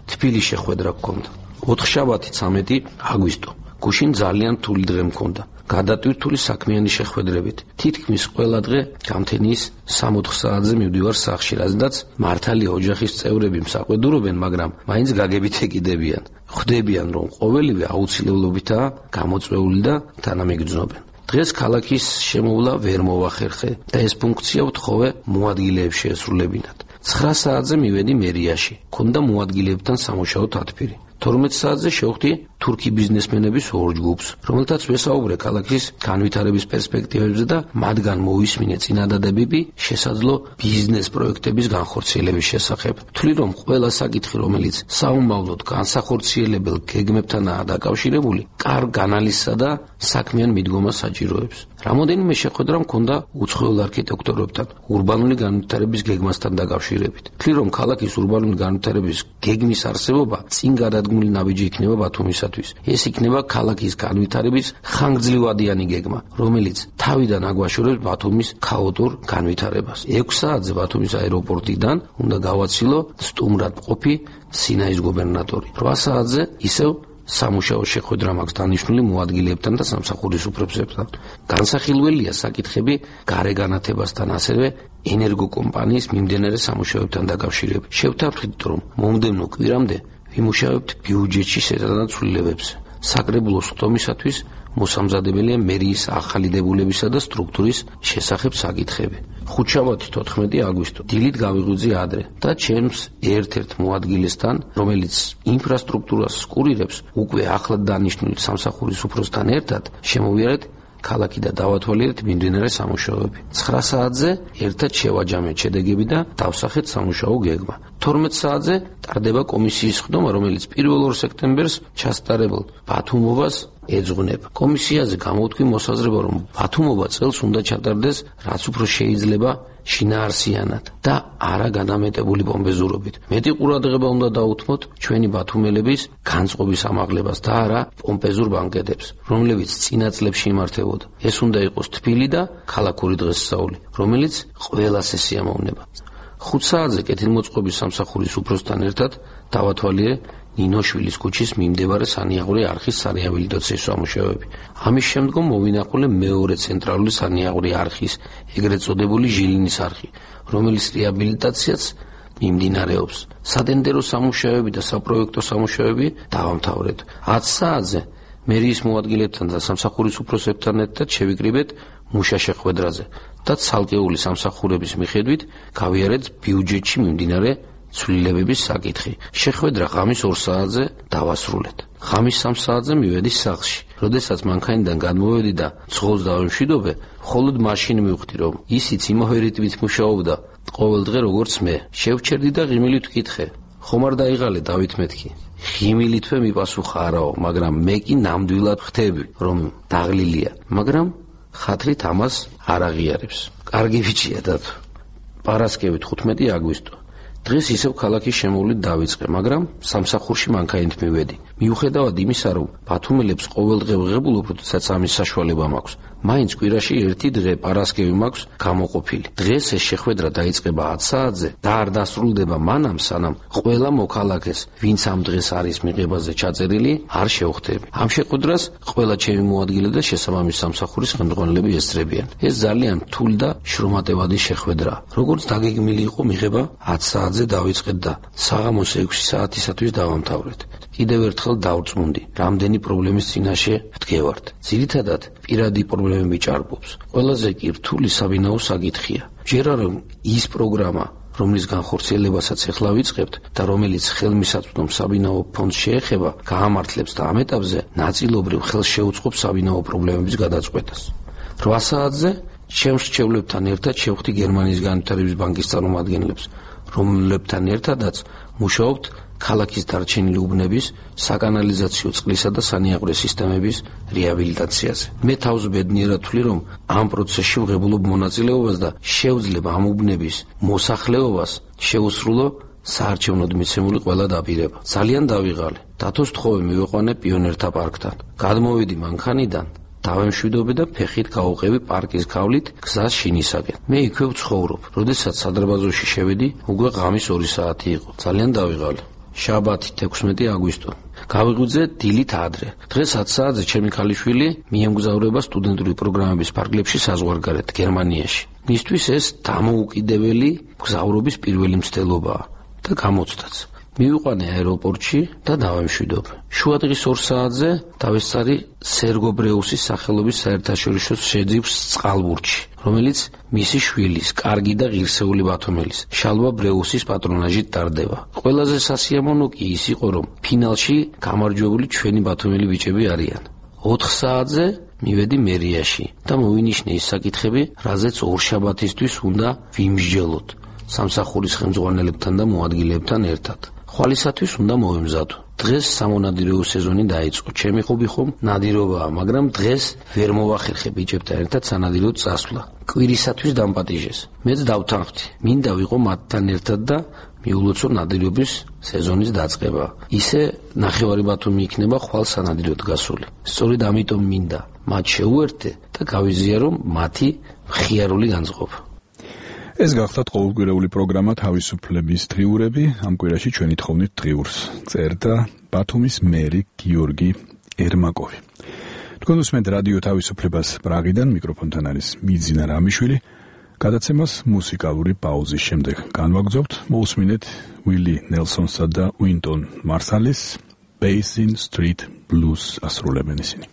თბილი შეხვედრა გქონდა. ოთხშაბათი 13 აგვისტო. გუშინ ძალიან რთული დღე მქონდა. გადატვირთული საქმიანი შეხვედრებით. თითქმის ყველა დღე გამთენის 3-4 საათზე მივდივარ სახლში, რადგანაც მართალი ოჯახის წევრები მსაყვედურობენ, მაგრამ მაინც გაგებით ეკიდებიან. ხვდებიან, რომ ყოველივე აუცილებლობითაა გამოწვეული და თანამიგრძნობენ. დღეს ქალაქის შემოვლა ვერ მოვახერხე და ეს ფუნქცია ვთხოვე მოადგილეებს შეესრულებინათ. 9 საათზე მივედი მერიაში. ქონდა მოადგილეებთან სამუშაო თათბირი. 12 საათზე შევხვდი თურქი ბიზნესმენების ორ ჯგუფს, რომელთაც ვესაუბრე ქალაქის განვითარების პერსპექტივებზე და მათგან მოვისმინე წინადადებები შესაძლო ბიზნეს პროექტების განხორციელების შესახებ. ვთვლი, რომ ყველა საკითხი, რომელიც საომავლოდ განსახორციელებელ გეგმებთანაა დაკავშირებული, კარგ ანალიზსა და საქმიან მიდგომას საჭიროებს. რამოდენიმე შეხვედრა მქონდა უცხოელ არქიტექტორებთან, ურბანული განვითარების გეგმასთან დაკავშირებით. ვთვლი, რომ ქალაქის ურბანული განვითარების გეგმის არსებობა წინ გადადგმული ნაბიჯი იქნება ბათუმისათვის. ეს იქნება ქალაქის განვითარების ხანგრძლივადიანი გეგმა, რომელიც თავიდან აგვაშორებს ბათუმის ქაოტურ განვითარებას. 6 საათზე ბათუმის აეროპორტიდან უნდა გავაცილო სტუმრად მყოფი სინაის გუბერნატორი. 8 საათზე ისევ სამუშაო შეხვედრა მაქვს დანიშნული მოადგილეებთან და სამსახურის უფროსებთან. განსახილველია საკითხები გარეგანათებასთან, ასევე ენერგოკომპანიის მიმდებარე სამუშაოებთან დაკავშირებით. შევთანხმდით, რომ მომდევნო კვირამდე ვიმუშავებთ ბიუჯეტში შეტანილ ცვლილებებზე. საკრებულოს ხდომისათვის მოსამზადებელია მერიის ახალი დებულებისა და სტრუქტურის შესახებ საკითხები. ხუთშაბათი 14 აგვისტო. დილით გავიღვიძე ადრე და ჩემს ერთ-ერთ მოადგილესთან, რომელიც ინფრასტრუქტურას სკურირებს, უკვე ახლად დანიშნული სამსახურის უფროსთან ერთად შემოვიარეთ ქალაქი და დავათვალიერეთ მიმდინარე სამუშაოები. 9 საათზე ერთად შევაჯამეთ შედეგები და დავსახეთ სამუშაო გეგმა. 12 საათზე ტარდება კომისიის ხდომა, რომელიც 1 სექტემბერს ჩასტარებულ ბათუმობას ეძღვნება. კომისიაზე გამოვთქვი მოსაზრება, რომ ბათუმობა წელს უნდა ჩატარდეს რაც უფრო შეიძლება შინაარსიანად და არა განამეტებული პომპეზურობით. მეტი ყურადღება უნდა დაუთმოთ ჩვენი ბათუმელების განწყობის ამაღლებას და არა პომპეზურ ბანკეტებს, რომლებიც წინა წლებში იმართებოდა. ეს უნდა იყოს თბილი და ქალაქური დღესასწაული, რომელიც ყველას ესიამოვნება. 5 საათზე კეთილმოწყობის სამსახურის უფროსთან ერთად დავათვალიერე ნინოშვილის ქუჩის მიმდებარე სანიაღვრე არხის სარეაბილიტაციო სამუშაოები. ამის შემდგომ მოვინახულე მეორე ცენტრალური სანიაღვრე არხის, ეგრეთ წოდებული ჟილინის არხი, რომელიც რეაბილიტაციაც მიმდინარეობს. სადენდერო სამუშაოები და საპროექტო სამუშაოები დავამთავრეთ. 10 საათზე მერიის მოადგილებთან და სამსახურის უფროსებთან ერთად შევიკრიბეთ მუშა შეხვედრაზე და ცალკეული სამსახურების მიხედვით გავიარეთ ბიუჯეტში მიმდინარე ცვლილებების საკითხი. შეხვედრა ღამის 2 საათზე დავასრულეთ. ღამის 3 საათზე მივედი სახლში. როდესაც მანქანიდან გადმოვედი და ცხოველს დავემშვიდობე, მხოლოდ მაშინ მივხვდი, რომ ისიც იმავე რიტმით მუშაობდა ყოველ დღე როგორც მე. შევჩერდი და ღიმილით ვკითხე. ხომ არ დაიღალე დავით მეთქი. ღიმილითვე მიპასუხა არაო, მაგრამ მე კი ნამდვილად ხვდები, რომ დაღლილია, მაგრამ ხათრით ამას არ აღიარებს. კარგი ბიჭია დათო. პარასკევით 15 აგვისტო. დღეს ისევ ქალაქის შემოვლით დავიწყე, მაგრამ სამსახურში მანქანით მივედი. მიუხედავად იმისა, რომ ბათუმელებს ყოველდღე ვღებულობ, როდესაც ამის საშუალება მაქვს, მაინც კვირაში ერთი დღე პარასკევი მაქვს გამოყოფილი. დღეს ეს შეხვედრა დაიწყება 10 საათზე და არ დასრულდება მანამ, სანამ ყველა მოქალაქეს, ვინც ამ დღეს არის მიღებაზე ჩაწერილი, არ შევხვდები. ამ შეხვედრას ყველა ჩემი მოადგილე და შესაბამის სამსახურის ხელმძღვანელები ესწრებიან. ეს ძალიან რთული და შრომატევადი შეხვედრაა. როგორც დაგეგმილი იყო მიღება 10 საათზე დავიწყეთ და საღამოს 6 საათისათვის დავამთავრეთ. კიდევ ერთხელ დავწმუნდი, რამდენი პრობლემის წინაშე ვდგევართ. ძირითადად პირადი პრობლემები ჭარბობს. ყველაზე კი რთული საბინაო საკითხია. ჯერა რომ ის პროგრამა, რომლის განხორციელებასაც ეხლა ვიწყებთ და რომელიც ხელმისაწვდომ საბინაო ფონდს შეეხება, გაამართლებს და ამ ეტაპზე ნაწილობრივ ხელს შეუწყობს საბინაო პრობლემების გადაწყვეტას. 8 საათზე ჩემს რჩევლებთან ერთად შევხვდი გერმანიის განვითარების ბანკის წარმომადგენლებს, რომლებთან ერთადაც მუშაობთ ქალაქის დარჩენილი უბნების საკანალიზაციო წყლისა და სანიაღვრე სისტემების რეაბილიტაციაზე. მე თავს ბედნიერად ვთვლი, რომ ამ პროცესში ვღებულობ მონაწილეობას და შევძლებ ამ უბნების მოსახლეობას შეუსრულო საარჩევნოდ მიცემული ყველა დაპირება. ძალიან დავიღალე. დათოს თხოვე მივიყვანე პიონერთა პარკთან. გადმოვედი მანქანიდან, დავემშვიდობე და ფეხით გავუყევი პარკის გავლით გზას შინისაკენ. მე იქვე ვცხოვრობ. როდესაც სადარბაზოში შევედი, უკვე ღამის 2 საათი იყო. ძალიან დავიღალე. შაბათი 16 აგვისტო. გავიღვიძე დილით ადრე. დღეს 10 საათზე ჩემი ქალიშვილი მიემგზავრება სტუდენტური პროგრამების ფარგლებში საზღვარგარეთ გერმანიაში. მისთვის ეს დამოუკიდებელი მგზავრობის პირველი მცდელობაა და გამოცდაც. მივიყვანე აეროპორტში და დავემშვიდობ. შუადღის 2 საათზე დავესწარი სერგო ბრეუსის სახელობის საერთაშორისო შეძივს წყალბურთში, რომელიც მისი შვილის, კარგი და ღირსეული ბათუმელის, შალვა ბრეუსის პატრონაჟით ტარდება. ყველაზე სასიამოვნო კი ის იყო, რომ ფინალში გამარჯვებული ჩვენი ბათუმელი ბიჭები არიან. 4 საათზე მივედი მერიაში და მოვინიშნე ის საკითხები, რაზეც ორშაბათისთვის უნდა ვიმსჯელოთ სამსახურის ხელმძღვანელებთან და მოადგილეებთან ერთად. ხვალისათვის უნდა მოვემზადო. დღეს სამონადირეო სეზონი დაიწყო. ჩემი ხობი ხომ ნადირობაა, მაგრამ დღეს ვერ მოვახერხე ბიჭებთან ერთად სანადიროდ წასვლა. კვირისათვის დამპატიჟეს. მეც დავთანხმდი. მინდა ვიყო მათთან ერთად და მიულოცო ნადირობის სეზონის დაწყება. ისე ნახევარი ბათუმი იქნება ხვალ სანადიროდ გასული. სწორედ ამიტომ მინდა მათ შეუერთდე და გავიზიარო მათი მხიარული განწყობა. ეს გახლავთ ყოველკვირეული პროგრამა თავისუფლების დღიურები. ამ კვირაში ჩვენი თხოვნით დღიურს წერდა ბათუმის მერი გიორგი ერმაკოვი. თქვენ უსმენთ რადიო თავისუფლებას პრაღიდან, მიკროფონთან არის მიძინა რამიშვილი. გადაცემას მუსიკალური პაუზის შემდეგ განვაგრძობთ. მოусმინეთ უილი ნელსონსა და უინტონ მარსალის Basin Street Blues ასრულებენ ისინი.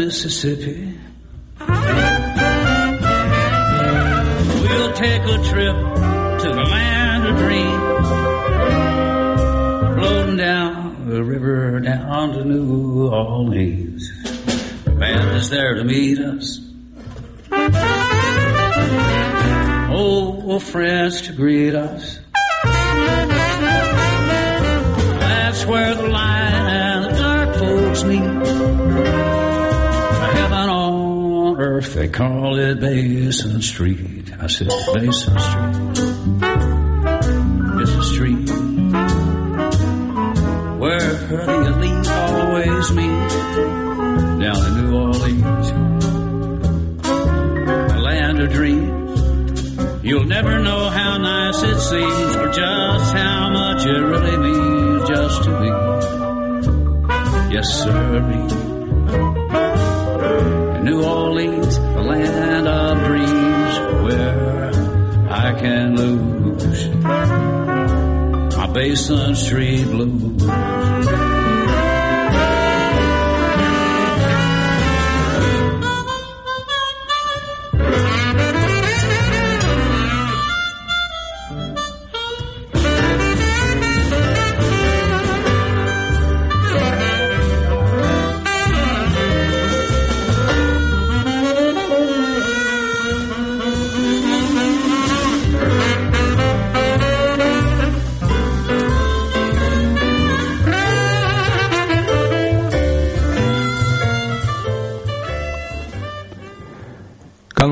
Mississippi. We'll take a trip to the land of dreams, floating down the river down to New Orleans. The band is there to meet us. Oh, friends to greet us. That's where the light and the dark folks meet. Earth, they call it Basin Street. I said, Basin Street. It's a street where the elite always meet. Down in New Orleans, the land of dreams. You'll never know how nice it seems, or just how much it really means just to be. Yes, sir. New Orleans, the land of dreams, where I can lose my Basin Street Blues.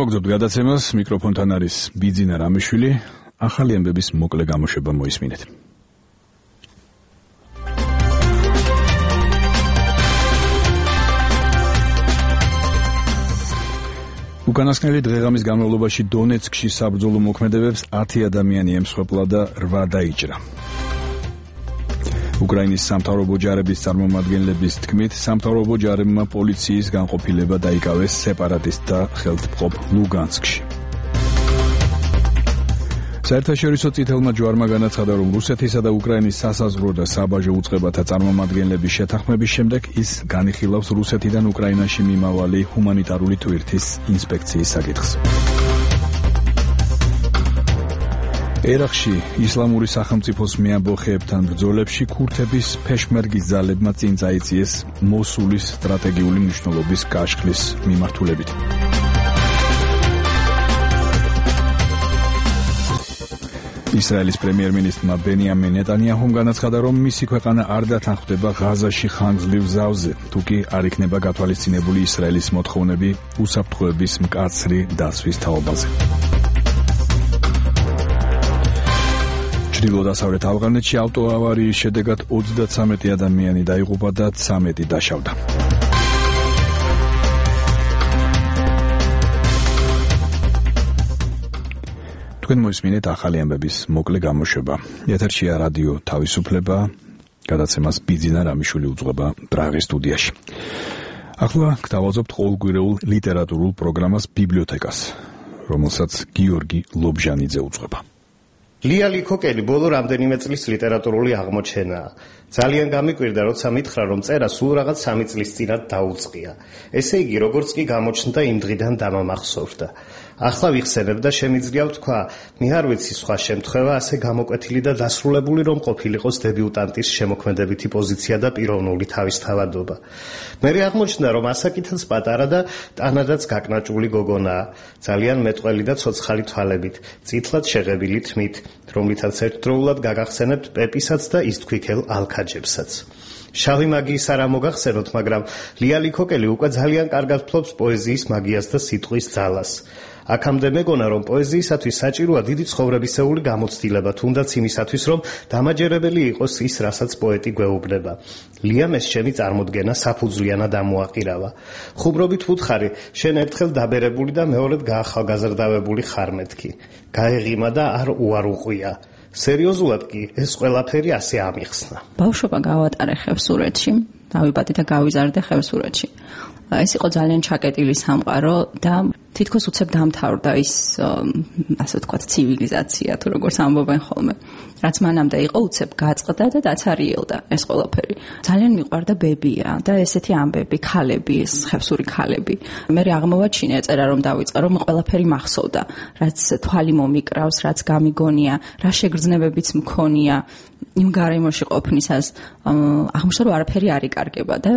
განმოგზაურდ გადაცემას, მიკროფონთან არის ბიძინა რამიშვილი, ახალი ამბების მოკლე გამოშვება მოისმინეთ. უკანასკნელი დღეღამის განმავლობაში დონეცკში საბრძოლო მოქმედებებს 10 ადამიანი ემსხვერპლა და 8 დაიჭრა. უკრაინის სამთავრობო ჯარების წარმომადგენლების თქმით, სამთავრობო ჯარებმა პოლიციის განყოფილება დაიკავეს სეპარატისტთა ხელმძღვანელ ლუგანსკში. საერთაშორისო წითელმა ჯვარმა განაცხადა, რომ რუსეთისა და უკრაინის სასაზღვრო და საბაჟო უწყებათა წარმომადგენლების შეთანხმების შემდეგ ის განიხილავს რუსეთიდან უკრაინაში მიმავალი ჰუმანიტარული ტვირთის ინსპექციის საკითხს. ერაყში ისლამური სახელმწიფოს მეამბოხეებთან ბრძოლებში ქურთების ფეშმერგის ძალებმა წინ წაიწიეს მოსულის სტრატეგიული მნიშვნელობის კაშხლის მიმართულებით. ისრაელის პრემიერ-მინისტრმა ბენიამინ ნეტანიაჰუმ განაცხადა, რომ მისი ქვეყანა არ დათანხმდება ღაზაში ხანგრძლივ ზავზე, თუ კი არ იქნება გათვალისწინებული ისრაელის მოთხოვნები უსაფრთხოების მკაცრი დაცვის თაობაზე. ჩრდილო-დასავლეთ ავღანეთში ავტოავარიის შედეგად 33 ადამიანი დაიღუპა და 13 დაშავდა. თქვენ მოისმინეთ ახალი ამბების მოკლე გამოშვება. ეთერშია რადიო თავისუფლება, გადაცემას ბიძინა რამიშვილი უძღვება პრაღის სტუდიაში. ახლა გთავაზობთ ყოველკვირეულ ლიტერატურულ პროგრამას ბიბლიოთეკას, რომელსაც გიორგი ლობჟანიძე უძღვება. ლია ლიქოკელი ბოლო რამდენიმე წლის ლიტერატურული აღმოჩენაა. ძალიან გამიკვირდა, როცა მითხრა, რომ წერა სულ რაღაც 3 წლის წინათ დაუწყია. ესე იგი, როგორც კი გამოჩნდა, იმ დღიდან დამამახსოვრდა. ახლა ვიხსენებ და შემიძლია ვთქვა, მე არ ვიცი სხვა შემთხვევა ასე გამოკვეთილი და დასრულებული რომ ყოფილიყოს დებიუტანტის შემოქმედებითი პოზიცია და პიროვნული თავისთავადობა. მე აღმოჩნდა, რომ ასაკითაც პატარა და ტანადაც გაკნაჭული გოგონაა, ძალიან მეტყველი და ცოცხალი თვალებით, წითლად შეღებილი თმით, რომლითაც ერთდროულად გაგახსენებთ პეპისაც და ისთქვიქელ ალქაჯებსაც. შავი მაგიის არ მოგახსენოთ, მაგრამ ლია ლიქოკელი უკვე ძალიან კარგად ფლობს პოეზიის მაგიას და სიტყვის ძალას. აქამდე მეგონა, რომ პოეზიისათვის საჭიროა დიდი ცხოვრებისეული გამოცდილება, თუნდაც იმისათვის, რომ დამაჯერებელი იყოს ის, რასაც პოეტი გვეუბნება. ლიამ ეს ჩემი წარმოდგენა საფუძვლიანად ამოაყირავა. ხუმრობით ვუთხარი, შენ ერთხელ დაბერებული და მეორედ გაახალგაზრდავებული ხარ მეთქი. გაეღიმა და არ უარუყვია. სერიოზულად კი ეს ყველაფერი ასე ამიხსნა. ბავშვობა გავატარე ხევსურეთში, დავიბადე და გავიზარდე ხევსურეთში. ეს იყო ძალიან ჩაკეტილი სამყარო და თითქოს უცებ დამთავრდა ის, ასე ვთქვათ, ცივილიზაცია, თუ როგორც ამბობენ ხოლმე. რაც მანამდე იყო უცებ გაწყდა და დაცარიელდა ეს ყველაფერი. ძალიან მიყვარდა ბებია და ესეთი ამბები, ქალები, ეს ხევსური ქალები. მე აღმოვაჩინე ეწერა რომ დავიწყე, რომ ყველაფერი მახსოვდა, რაც თვალი მომიკრავს, რაც გამიგონია, რა შეგრძნებებიც მქონია იმ გარემოში ყოფნისას. აღმოჩნდა რომ არაფერი არ იკარგება და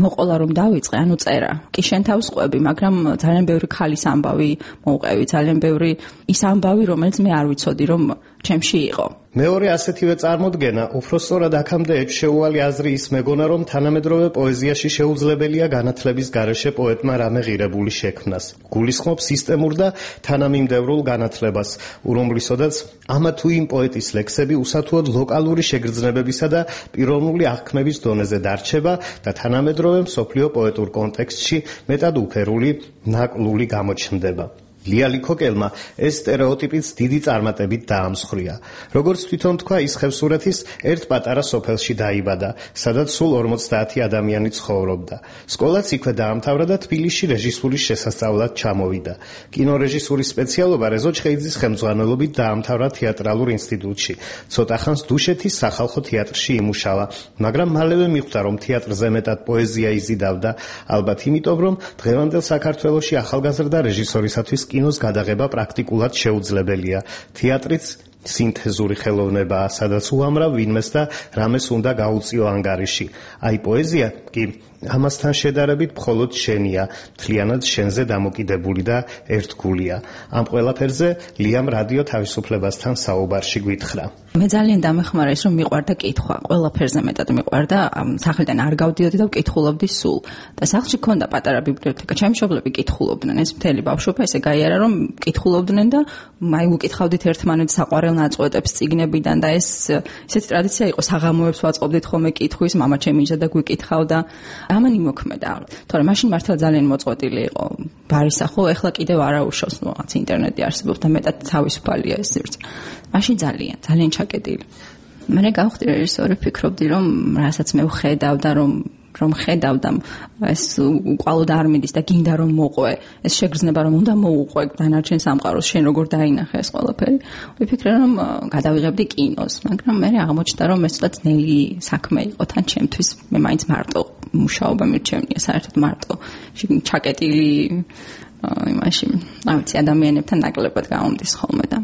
მოყოლა რომ დავიწყე, ანუ წერა. კი შენ თავს ყვები, მაგრამ ძალიან ბევრი ქალის ამბავი მოვყევი, ძალიან ბევრი ის ამბავი, რომელიც მე არ ვიცოდი რომ ჩემში იყო. მეორე ასეთივე წარმოდგენა, უფრო სწორად აქამდე შეუვალი აზრი ის მეგონა, რომ თანამედროვე პოეზიაში შეუძლებელია განათლების გარეშე პოეტმა რამე ღირებული შექმნას. გულისხმობს სისტემურ და თანამიმდევრულ განათლებას, რომლისოდაც ამა თუ იმ პოეტის ლექსები უსათუოდ ლოკალური შეგრძნებებისა და პიროვნული აღქმების დონეზე დარჩება და თანამედროვე მსოფლიო პოეტურ კონტექსტში მეტად უფერული, ნაკლული გამოჩნდება. ლიალი ქოკელმა ეს სტერეოტიპიც დიდი წარმატებით დაამსხვრია. როგორც თვითონ თქვა, ის ხევსურეთის ერთ პატარა სოფელში დაიბადა, სადაც სულ 50 ადამიანი ცხოვრობდა. სკოლაც იქვე დაამთავრა და თბილისში რეჟისურის შესასწავლად ჩამოვიდა. კინორეჟისურის სპეციალობა რეზო ჩხეიძის ხელმძღვანელობით დაამთავრა თეატრალურ ინსტიტუტში. ცოტა ხანს დუშეთის სახალხო თეატრში იმუშავა, მაგრამ მალევე მიხვდა, რომ თეატრზე მეტად პოეზია იზიდავდა, ალბათ იმიტომ, რომ დღევანდელ საქართველოში ახალგაზრდა რეჟისორისათვის კინოს გადაღება პრაქტიკულად შეუძლებელია. თეატრიც სინთეზური ხელოვნებაა, სადაც უამრავ ვინმეს და რამეს უნდა გაუწიო ანგარიში. აი პოეზია კი ამასთან შედარებით მხოლოდ შენია, მთლიანად შენზე დამოკიდებული და ერთგულია. ამ ყველაფერზე ლიამ რადიო თავისუფლებასთან საუბარში გვითხრა. მე ძალიან დამეხმარა ის, რომ მიყვარდა კითხვა, ყველაფერზე მეტად მიყვარდა, სახლიდან არ გავდიოდი და ვკითხულობდი სულ. და სახლში ქონდა პატარა ბიბლიოთეკა, ჩემი მშობლები კითხულობდნენ, ეს მთელი ბავშვობა ესე გაიარა, რომ კითხულობდნენ და აი უკითხავდით ერთმანეთს საყვარელ ნაწყვეტებს წიგნებიდან და ესეთი ტრადიცია იყო, საღამოებს ვაწყობდით ხოლმე კითხვის, მამა ჩემი იჯდა და გვიკითხავდა. ამან იმოქმედა. თორემ მაშინ მართლა ძალიან მოწყვეტილი იყო ბარისახო, ეხლა კიდევ არაუშავს, რაღაც ინტერნეტი არსებობს და მეტად თავისუფალია ეს სივრცე. მაშინ ძალიან ჩაკეტილი. მე გავხდი რეჟისორი, ფიქრობდი, რომ რასაც მე ვხედავდა, რომ ხედავდა ეს უყალოდ არ მიდის და გინდა რომ მოყვე, ეს შეგრძნება რომ უნდა მოუყვე დანარჩენ სამყაროს, შენ როგორ დაინახე ეს ყველაფერი. ვიფიქრე რომ გადავიღებდი კინოს, მაგრამ მე აღმოჩნდა რომ ეს ცოტა ძნელი საქმე იყო თან ჩემთვის. მე მაინც მარტო მუშაობა მირჩევნია, საერთოდ მარტო ჩაკეტილი იმაში, ავიცი ადამიანებთან ნაკლებად გამომდის ხოლმე და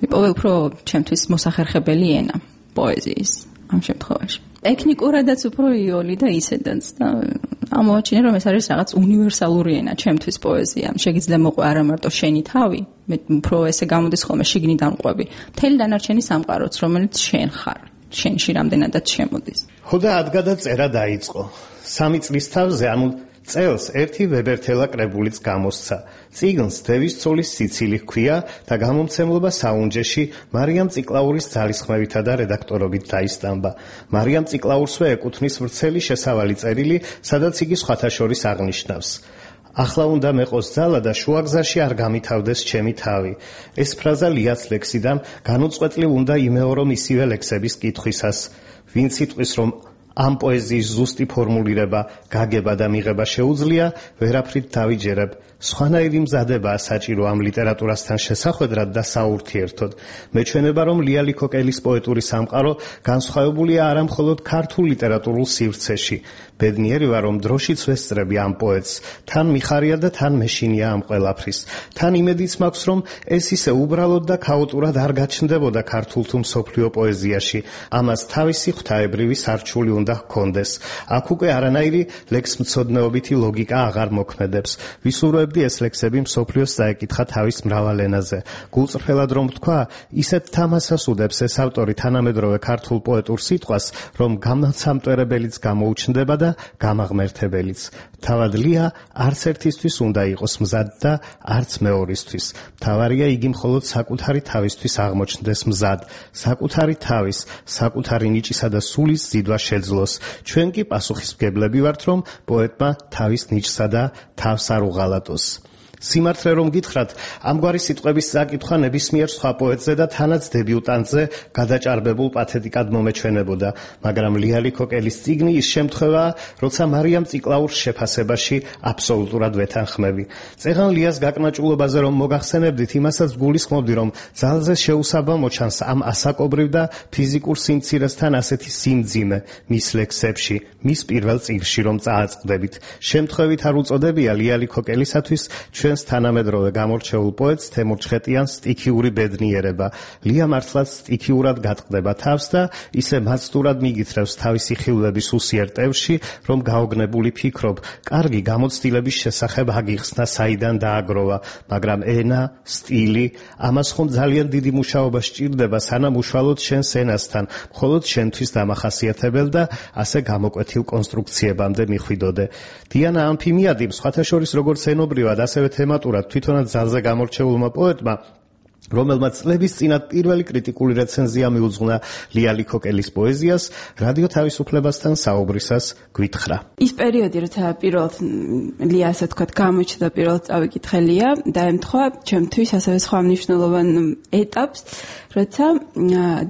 ვიპოვე უფრო ჩემთვის მოსახერხებელი ენა პოეზიის ამ შემთხვევაში. ტექნიკურადაც უფრო იოლი და ისედაც და ამოაჩინე რომ ეს არის რაღაც უნივერსალური ენა ჩემთვის პოეზია. შეგიძლია მოყვე არა მარტო შენი თავი, მე უფრო ესე გამოდის ხოლმე შიგნიდან ყვები. მთელი დანარჩენი სამყაროც, რომელიც შენ ხარ, შენში რამდენადაც შემოდის. ხო და ადგადა წერა დაიწყო. 3 წლის თავზე, ანუ წელს ერთი ვებერთელა კრებულიც გამოსცა. წიგნს დევის ცოლის სიცილი ჰქვია და გამომცემლობა საუნჯეში მარიამ წიკლაურის ძალისხმევითა და რედაქტორობით დაისტამბა. მარიამ წიკლაურსვე ეკუთვნის ვრცელი შესავალი წერილი, სადაც იგი სხვათა შორის აღნიშნავს: ახლა უნდა მეყოს ძალა და შუაგზაში არ გამითავდეს ჩემი თავი. ეს ფრაზა ლიას ლექსიდან განუწყვეტლივ უნდა იმეორო ისივე ლექსების კითხვისას. ვინც იტყვის, რომ ამ პოეზიის ზუსტი ფორმულირება, გაგება და მიღება შეუძლია, ვერაფრით დავიჯერებ. სხვანაირი მზადებაა საჭირო ამ ლიტერატურასთან შესახვედრად და საურთიერთოდ. მეჩვენება, რომ ლიალი ქოკელის პოეტური სამყარო განსხვავებულია არა მხოლოდ ქართულ ლიტერატურულ სივრცეში. ბედნიერი ვარ, რომ დროშიც ვესწრები ამ პოეტს. თან მიხარია და თან მეშინია ამ ყველაფრის. თან იმედიც მაქვს, რომ ეს ისე უბრალოდ და ქაოტურად არ გაჩნდებოდა ქართულ თუ მსოფლიო პოეზიაში. ამას თავისი ღვთაებრივი სარჩული უნდა ჰქონდეს. აქ უკვე არანაირი ლექსმცოდნეობითი ლოგიკა აღარ მოქმედებს. ვისურვებდი ეს ლექსები მსოფლიოს წაეკითხა თავის მრავალ ენაზე. გულწრფელად რომ ვთქვა, ისეთ თამასას უდებს ეს ავტორი თანამედროვე ქართულ პოეტურ სიტყვას, რომ გამოცამტვერებელიც გამოუჩნდება და გამაღმერთებელიც. თავად ლია არც ერთისთვის უნდა იყოს მზად და არც მეორისთვის. თავარია იგი მხოლოდ საკუთარი თავისთვის აღმოჩნდეს მზად, საკუთარი თავის, საკუთარი ნიჭისა და სულის ზიდვა შეძლოს. ჩვენ კი პასუხისმგებლები ვართ, რომ პოეტმა თავის ნიჭსა და თავს არ უღალატოს. სიმართლე რომ გითხრათ, ამგვარი სიტყვების საკითხვა ნებისმიერ სხვა პოეტზე და თანაც დებიუტანტზე გადაჭარბებულ პათეტიკად მომეჩვენებოდა, მაგრამ ლიალი ქოკელის წიგნი ის შემთხვევაა, როცა მარიამ წიკლაურს შეფასებაში აბსოლუტურად ვეთანხმები. წეღან ლიას გაკნაჭულობაზე რომ მოგახსენებდით, იმასაც გულისხმობდი, რომ ძალზე შეუსაბამო მოჩანს ამ ასაკობრივ და ფიზიკურ სიმცირესთან ასეთი სიმძიმე მის ლექსებში, მის პირველ წიგნში რომ წააწყდებით. შემთხვევით არ უწოდებია ლიალი ქოკელისათვის ჩვენს თანამედროვე გამორჩეულ პოეტს თემურ ჩხეტიანს სტიქიური ბედნიერება. ლია მართლაც სტიქიურად გატყდება თავს და ისე მაცდურად მიგითრევს თავისი ხილვების უსიერ ტევში, რომ გაოგნებული ფიქრობ, კარგი გამოცდილების შესახებ აგიხსნა საიდან დააგროვა, მაგრამ ენა, სტილი, ამას ხომ ძალიან დიდი მუშაობა სჭირდება, სანამ უშუალოდ შენს ენასთან, მხოლოდ შენთვის დამახასიათებელ და ასე გამოკვეთილ კონსტრუქციებამდე მიხვიდოდე. დიანა ამფიმიადი სხვათა შორის როგორც ენობრივად, ასევე თემატურად თვითონაც ძალზე გამორჩეულმა პოეტმა რომელმაც წლების წინათ პირველი კრიტიკული რეცენზია მიუძღვნა ლიალი ქოკელის პოეზიას, რადიო თავისუფლებასთან საუბრისას გვითხრა. ის პერიოდი, როცა პირველად ლია ასე ვთქვათ, გამოჩნდა პირველად წავიკითხე ლია, დაემთხვა ჩემთვის ასევე სხვა მნიშვნელოვან ეტაპს, როცა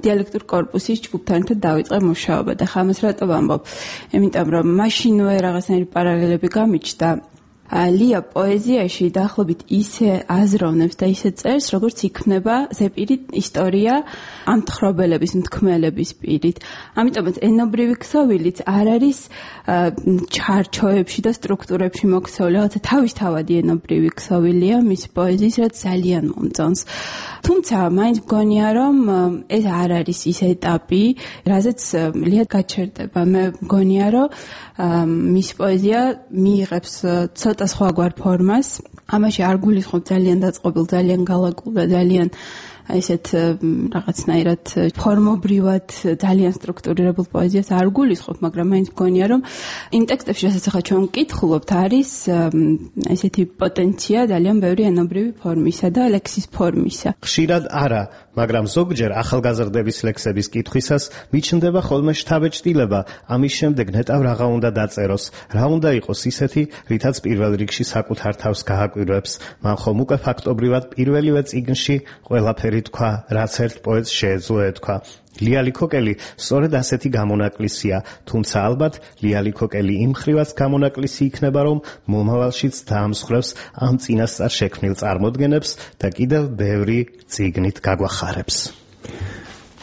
დიალექტურ კორპუსის ჯგუფთან ერთად დავიწყე მუშაობა და ხა ამას რატო ვამბობ? იმიტომ რომ მაშინვე რაღაცნაირი პარალელები გამიჩნდა. ლია პოეზიაში დაახლოებით ისე აზროვნებს და ისე წერს, როგორც იქმნება ზეპირი ისტორია ამ თხრობელების, მთქმელების პირით. ამიტომაც ენობრივი ქსოვილიც არ არის ჩარჩოებში და სტრუქტურებში მოქცეული, რაღაცა თავისთავადი ენობრივი ქსოვილია მის პოეზიის, რაც ძალიან მომწონს. თუმცა მაინც მგონია, რომ ეს არ არის ის ეტაპი, რაზეც ლია გაჩერდება. მე მგონია, რომ მის პოეზია მიიღებს ცოტა სხვაგვარ ფორმას. ამაში არ გულისხმობ ძალიან დაწყობილ, ძალიან გალაგულ და ძალიან ესეთ რაღაცნაირად ფორმობრივად ძალიან სტრუქტურირებულ პოეზიას არ გულისხმობ, მაგრამ მაინც მგონია, რომ იმ ტექსტებში, რასაც ახლა ჩვენ ვკითხულობთ, არის ესეთი პოტენცია ძალიან ბევრი ენობრივი ფორმისა და ლექსის ფორმისა. ხშირად არა, მაგრამ ზოგჯერ ახალგაზრდების ლექსების კითხვისას მიჩნდება ხოლმე შთაბეჭდილება, ამის შემდეგ ნეტავ რაღა უნდა დაწეროს, რა უნდა იყოს ისეთი, რითაც პირველ რიგში საკუთარ თავს გააკვირვებს. მან ხომ უკვე ფაქტობრივად პირველივე წიგნში ყველაფერი თქვა, რაც ერთ პოეტს შეეძლო ეთქვა. ლიალი ქოკელი სწორედ ასეთი გამონაკლისია, თუმცა ალბათ ლიალი ქოკელი იმ ხრივაც გამონაკლისი იქნება, რომ მომავალშიც დაამსხვრევს ამ წინასწარ შექმნილ წარმოდგენებს და კიდევ ბევრი წიგნით გაგვახარებს.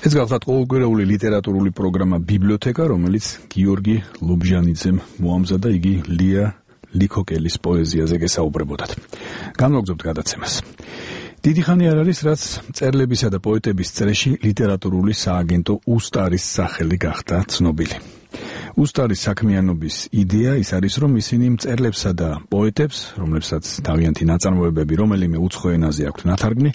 ეს გახლავთ ყოველკვირეული ლიტერატურული პროგრამა ბიბლიოთეკა, რომელიც გიორგი ლობჟანიძემ მოამზადა, იგი ლია ქოკელის პოეზიაზე გესაუბრებოდათ. განვაგრძობთ გადაცემას. დიდი ხანი არ არის, რაც მწერლებისა და პოეტების წრეში ლიტერატურული სააგენტო უსტარის სახელი გახდა ცნობილი. უსტარის საქმიანობის იდეა ის არის, რომ ისინი მწერლებსა და პოეტებს, რომლებსაც თავიანთი ნაწარმოებები რომელიმე უცხო ენაზე აქვთ ნათარგმნი,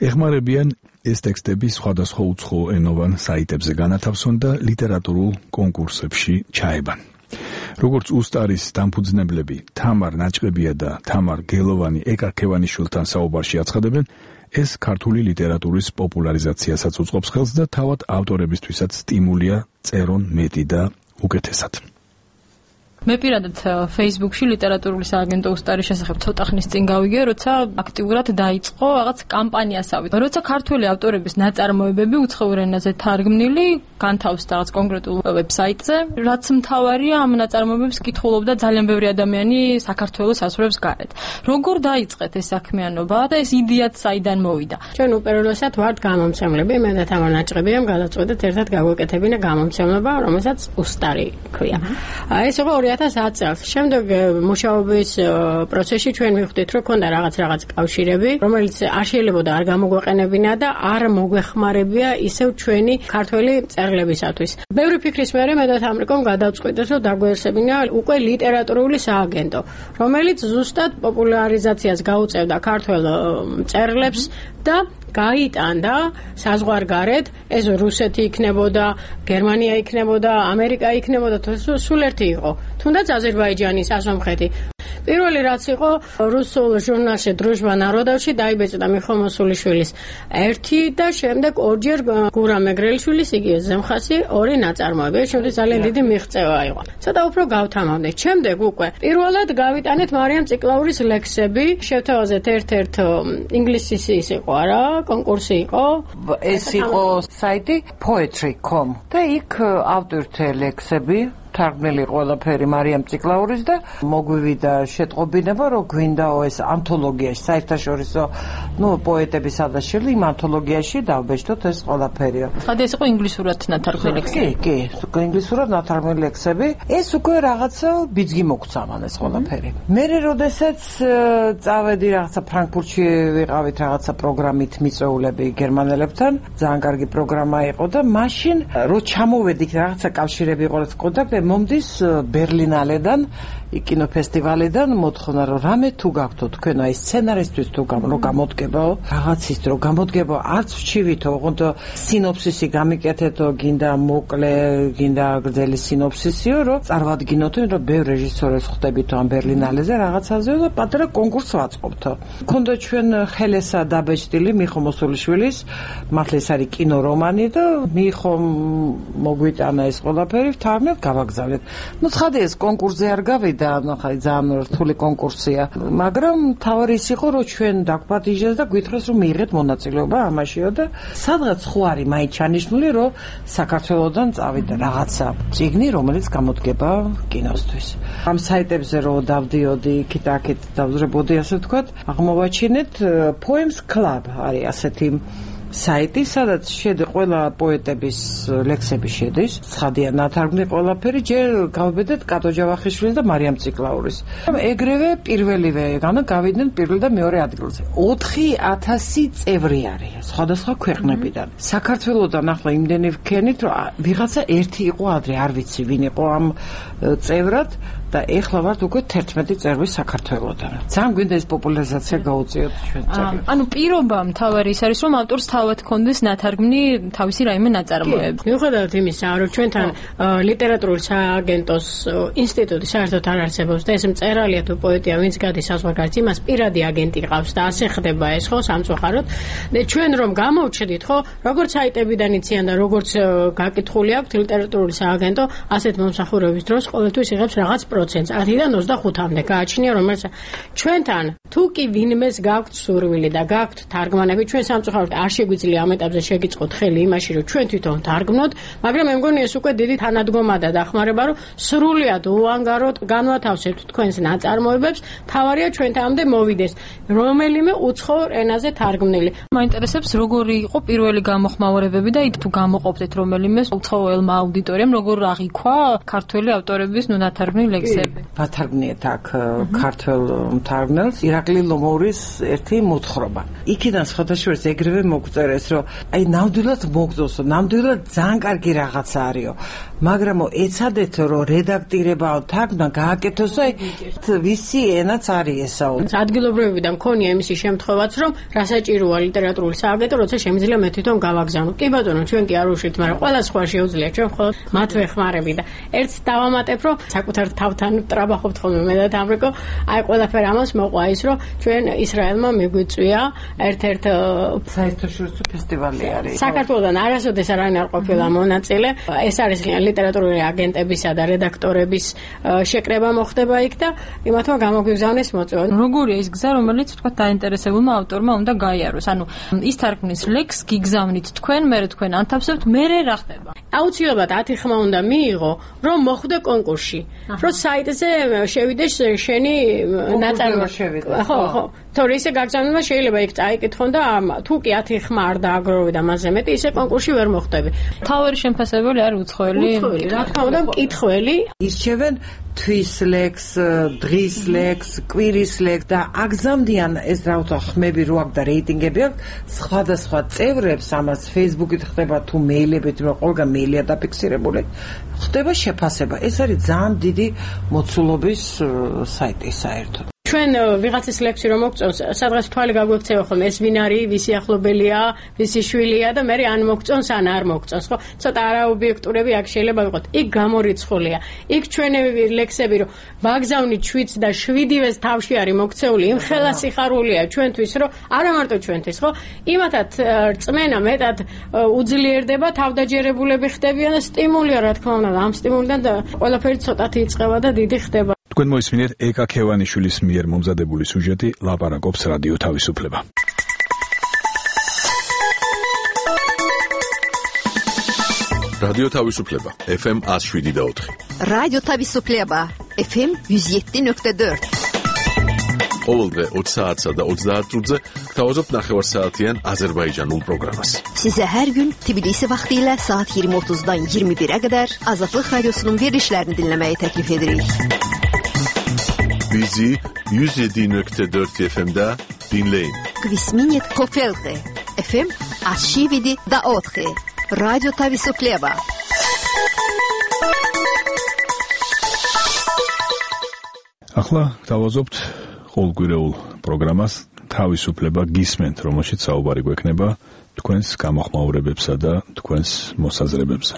ეხმარებიან ეს ტექსტები სხვადასხვა უცხო ენოვან საიტებზე განათავსონ და ლიტერატურულ კონკურსებში ჩაებან. როგორც უსტარის დამფუძნებლები თამარ ნაჭყებია და თამარ გელოვანი ეკარქევანიშვილთან საუბარში აცხადებენ, ეს ქართული ლიტერატურის პოპულარიზაციასაც უწყობს ხელს და თავად ავტორებისთვისაც სტიმულია წერონ მეტი და უკეთესად. მე პირადად Facebook-ში ლიტერატურული სააგენტო უსტარის შესახებ ცოტა ხნის წინ გავიგე, როცა აქტიურად დაიწყო რაღაც კამპანიასავით. როცა ქართული ავტორების ნაწარმოებები უცხოურ ენაზე თარგმნილი განთავსდა რაღაც კონკრეტულ ვებსაიტზე, რაც მთავარია ამ ნაწარმოებებს კითხულობდა ძალიან ბევრი ადამიანი საქართველოს საზღვრებს გარეთ. როგორ დაიწყეთ ეს საქმიანობა და ეს იდეაც საიდან მოვიდა? ჩვენ უპირველესად ვართ გამომცემლები, მე და თამარ ნაჭყებიამ გადაწყვეტეთ ერთად გავაკეთებინა გამომცემლობა, რომელსაც უსტარი ქვია. ეს იყო 2010 წელს. შემდეგ მუშაობის პროცესში ჩვენ მივხვდით, რომ ქონდა რაღაც კავშირები, რომელიც არ შეიძლება არ გამოგვეყენებინა და არ მოგვეხმარებია ისევ ჩვენი ქართველი მწერლებისათვის. ბევრი ფიქრის მერე მე და თამრიკომ გადავწყვიტეთ, რომ დაგვეცებინა უკვე ლიტერატურული სააგენტო, რომელიც ზუსტად პოპულარიზაციას გაუწევდა ქართველ მწერლებს და გაიტანდა საზღვარგარეთ, ეს რუსეთი იქნებოდა, გერმანია იქნებოდა, ამერიკა იქნებოდა, სულ ერთი იყო. თუნდაც აზერბაიჯანის, ასომხეთი. პირველი რაც იყო რუსულ ჟურნალში დროჟბა ნაროდოვში დაიბეჭდა მიხო მოსულიშვილის ერთი და შემდეგ ორჯერ გურამ მეგრელიშვილის იგივე ზემხასი ორი ნაწარმოები. შემდგომ ძალიან დიდი მიღწევა იყო. ცოტა უფრო გავთამავდეთ. შემდეგ უკვე პირველად გავიტანეთ მარიამ ციკლაურის ლექსები, შევთავაზეთ ერთ-ერთ ინგლისის ის იყო არა, კონკურსი იყო. ეს იყო საიტი poetry.com და იქ ავტორთა ლექსები თარგმნილი ყველაფერი მარიამ ციკლაურის და მოგვივიდა შეტყობინება, რომ გვინდაო ეს ანთოლოგიაში, საერთაშორისო, პოეტების ადაშილი იმ ანთოლოგიაში დავბეჭდოთ ეს ყველაფერიო. ხადი ეს იყო ინგლისურად ნათარგმნილი ლექსები? კი, ინგლისურად ნათარგმნილი ლექსები. ეს უკვე რაღაცა ბიძგი მოგცა მან ეს ყველაფერი. მე როდესაც წავედი რაღაცა ფრანკფურტში ვიყავით რაღაცა პროგრამით მიწვეულები გერმანელებთან, ძალიან კარგი პროგრამა იყო და მაშინ რო ჩამოვედი რაღაცა კავშირები იყო რაც კონტაქტები მომდის ბერლინალედან კინოფესტივალიდან მოთხოვნა რომ რამე თუ გაქვთ თქვენ აი სცენარისტვის თუ გამოდგებაო რაღაცის თუ გამოდგებო არც ვჩივითო ოღონდ სინოფსისი გამიკეთეთო გინდა მოკლე გინდა გრძელი სინოფსისიო რომ წარმოვადგინოთ რომ ბევრ რეჟისორებს ხვდებითო ამ ბერლინალეზე რაღაცაზე და პატარა კონკურსს ვაწყობთო მქონდა ჩვენ ხელესა დაბეჭდილი მიხო მოსულიშვილის მართლა ეს არის კინორომანი და მიხო მოგვიტანა ეს ყველაფერი ვთანხმდით გავაგზავნეთ ну ცხადია ეს კონკურსზე არ გავიდა ხაი ძალიან რთული კონკურსია მაგრამ თავი ის იყო რომ ჩვენ დაგვპატიჟეს და გვითხრეს რომ მიიღეთ მონაწილეობა ამაშიო და სადღაც ხო არის მაინც ჩანიშნული რომ საქართველოსდან წავიდა რაღაცა წიგნი რომელიც გამოდგება კინოსთვის ამ საიტებზე რომ დავდიოდი იქით დავზრებოდი ასე ვთქვათ აღმოვაჩინეთ Poems Club არის ასეთი საიტი, სადაც შედი ყველა პოეტების ლექსები შედის, ცხადია ნათარგმნი ყველაფერი, ჯერ გავბედეთ კატო ჯავახიშვილის და მარიამ ციკლაურის. ეგრევე პირველივე გავიდნენ პირველ და მეორე ადგილზე. 4000 წევრი არის სხვადასხვა ქვეყნებიდან. საქართველოსდან ახლა იმდენი ვქენით, რომ ვიღაცა ერთი იყო ადრე, არ ვიცი ვინ იყო ამ წევრად და ეხლა ვართ უკვე 11 წევრი საქართველოსდან. ძალიან გვინდა ეს პოპულარიზაცია გაუწიოთ ჩვენ წეგლებს. ანუ პირობა მთავარი ის არის, რომ ავტორს თავად კონდეს ნათარგმნი თავისი რაიმე ნაწარმოები. მიუხედავად იმისა, რომ ჩვენთან ლიტერატურული სააგენტოს ინსტიტუტი საერთოდ არ არსებობს და ეს მწერალია თუ პოეტია, ვინც გადის საზღვარგარეთ, იმას პირადი აგენტი ყავს და ასე ხდება ეს ხო სამწუხაროდ. ჩვენ რომ გამოვჩდით ხო, როგორც საიტებიდან იციან და როგორც გაკითხული აქვს ლიტერატურული სააგენტო, ასეთ მომსახურების დროს ყოველთვის იღებს რაღაც პროცენტს 10-დან 25-მდე გააჩნია რომელიც ჩვენთან თუ კი ვინმეს გაქვთ სურვილი და გაქვთ თარგმანები ჩვენ სამწუხაროდ არ შეგვიძლია ამ ეტაპზე შეგიწყოთ ხელი იმაში რომ ჩვენ თვითონ თარგმნოთ მაგრამ მე მგონი ეს უკვე დიდი თანადგომა და დახმარება რომ სრულიად უანგაროდ განვათავსებთ თქვენს ნაწარმოებებს თავარია ჩვენთანამდე მოვიდეს რომელიმე უცხოურ ენაზე თარგმნილი მაინტერესებს როგორი იყო პირველი გამოხმაურებები და თუ გამოყოფდეთ რომელიმე უცხოელმა აუდიტორიამ როგორ აღიქვა ქართველი ავტორების ნათარგმნი ლექსები ვათარგმნიეთ აქ ქართველ მთარგმნელს ირაკლი ლომორის ერთი მოთხრობა იქიდან სხვადასხვა ეგრევე მოგწერეს რომ აი ნამდვილად მოგწოსო ნამდვილად ძალიან კარგი რაღაცა არისო მაგრამ ეცადეთ რომ რედაქტირებაო თარგმნა გააკეთოს აი ვისი ენაც არის ესაო ადგილობრივებიდან მქონია იმისი შემთხვევაც რომ რასაჭიროა ლიტერატურული სააგენტო როცა შემიძლია მე თვითონ გავაგზავნო კი ბატონო ჩვენ კი არ უშლით მაგრამ ყველა სხვა შეუძლია ჩვენ მხოლოდ მათ ვეხმარები და ერთს დავამატებ რომ საკუთარ თავთან ტრაბახობთ ხოლმე მე და თამრიკო აი ყველაფერ ამას მოყვა ის რომ ჩვენ ისრაელმა მიგვიწვია ერთ-ერთ საერთაშორისო ფესტივალი არის საქართველოსდან არასოდეს არაინ არ ყოფილა მონაწილე ეს არის ლიტერატურული აგენტებისა და რედაქტორების შეკრება მოხდება იქ და იმათმა გამოგვიგზავნეს მოწვევა როგორია ის გზა რომელიც თქვა დაინტერესებულმა ავტორმა უნდა გაიაროს ანუ ის თარგმნის ლექს გიგზავნით თქვენ მე თქვენ ანთავსებთ მე რა ხდება აუცილებლად 10 ხმა უნდა მიიღო რომ მოხვდე კონკურსში რომ საიტზე შევიდეს შენი ნაწარმოები ხო ხო თორე ისე გაგზავნება შეიძლება იქ წაიკითხონ და თუ კი 10 ხმა არ დააგროვე და მასზე მეტი ისე კონკურსში ვერ მოხვდები თავი შემფასებელი არის უცხოელი რა თქმა უნდა მკითხველი ისჩევენ თვის ლექს, დღის ლექს, კვირის ლექს და აგზავნიან ეს რა ვთქვა ხმები რო აქვს და რეიტინგები აქვს სხვადასხვა წევრებს ამას Facebook-ით ხდება თუ მეილებით რომ ყველგან მეილია დაფიქსირებული ხდება შეფასება ეს არის ძალიან დიდი მოცულობის საიტი საერთოდ ჩვენ ვიღაცის ლექსი რომ მოგწონს, სადღაც თვალი გაგვექცევა ხოლმე ეს ვინ არის, ვისი ახლობელია, ვისი შვილია და მე ან მოგწონს ან არ მოგწონს, ხო? ცოტა არაობიექტურები აქ შეიძლება ვიყოთ. იქ გამორიცხულია. იქ ჩვენები ლექსები რომ ვაგზავნით 7 და 7-ვეს თავში არის მოქცეული, იმ ხელა სიხარულია ჩვენთვის, რომ არა მარტო ჩვენთვის, ხო? იმათად რწმენა მეტად უძლიერდება, თავდაჯერებულები ხდებიან და სტიმულია რა თქმა უნდა, ამ სტიმულიდან და ყველაფერი ცოტათი იწყება და დიდი ხდება. თქვენ მოისმინეთ ეკა ქევანიშვილის მიერ მომზადებული სიუჟეტი ლაპარაკობს რადიო თავისუფლება. რადიო თავისუფლება FM 107.4. რადიო თავისუფლება FM 107.4. ყოველდღე 20 საათსა და 30 minutze gtavazot ნახევარსაათიან აზერბაიჯანულ პროგრამას. Size her gün Tbilisi vaxtilə saat 20:30-dan 21-ə qədər Azadlıq Radiosunun verilişlərini dinləməyi təklif edirik. Bizi 107.4 FM-də dinləyin. Kvisminit Kofelte FM 107.4. Radyo Tavisupleva. ახლა დავაზობთ ყოველკვირეულ პროგრამას თავისუფლება გისმენთ, რომელშიც საუბარი გვექნება თქვენს გამოხმაურებებსა და თქვენს მოსაზრებებზე.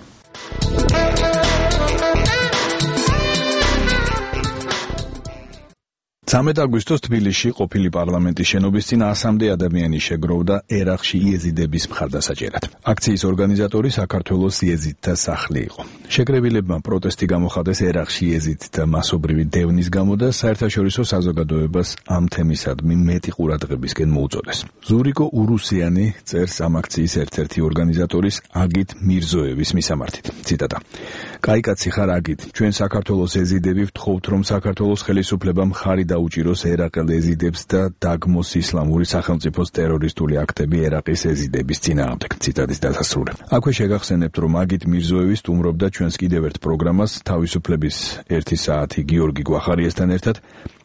13 აგვისტოს თბილისში ყოფილი პარლამენტის შენობის წინ 100-მდე ადამიანი შეგროვდა ერაყში იეზიდების მხარდასაჭერად. აქციის ორგანიზატორი საქართველოს იეზიდთა სახლი იყო. შეკრებილებმა პროტესტი გამოხატეს ერაყში იეზიდთა მასობრივი დევნის გამო და საერთაშორისო საზოგადოებას ამ თემისადმი მეტი ყურადღებისკენ მოუწოდეს. ზურიკო ურუსიანი წერს ამ აქციის ერთ-ერთი ორგანიზატორის აგით მირზოევის მისამართით. ციტატა: კაიკაცი ხარ აგით, ჩვენ საქართველოს ეზიდები ვთხოვთ, რომ საქართველოს ხელისუფლებამ ხარი დაუჭიროს ერაყელ ეზიდებს და დაგმოს ისლამური სახელმწიფოს ტერორისტული აქტები ერაყის ეზიდების წინააღმდეგ. ციტატის დასასრული. აქვე შეგახსენებთ, რომ აგით მირზოევი სტუმრობდა ჩვენს კიდევ ერთ პროგრამას თავისუფლების 1 საათი გიორგი გვახარიესთან ერთად.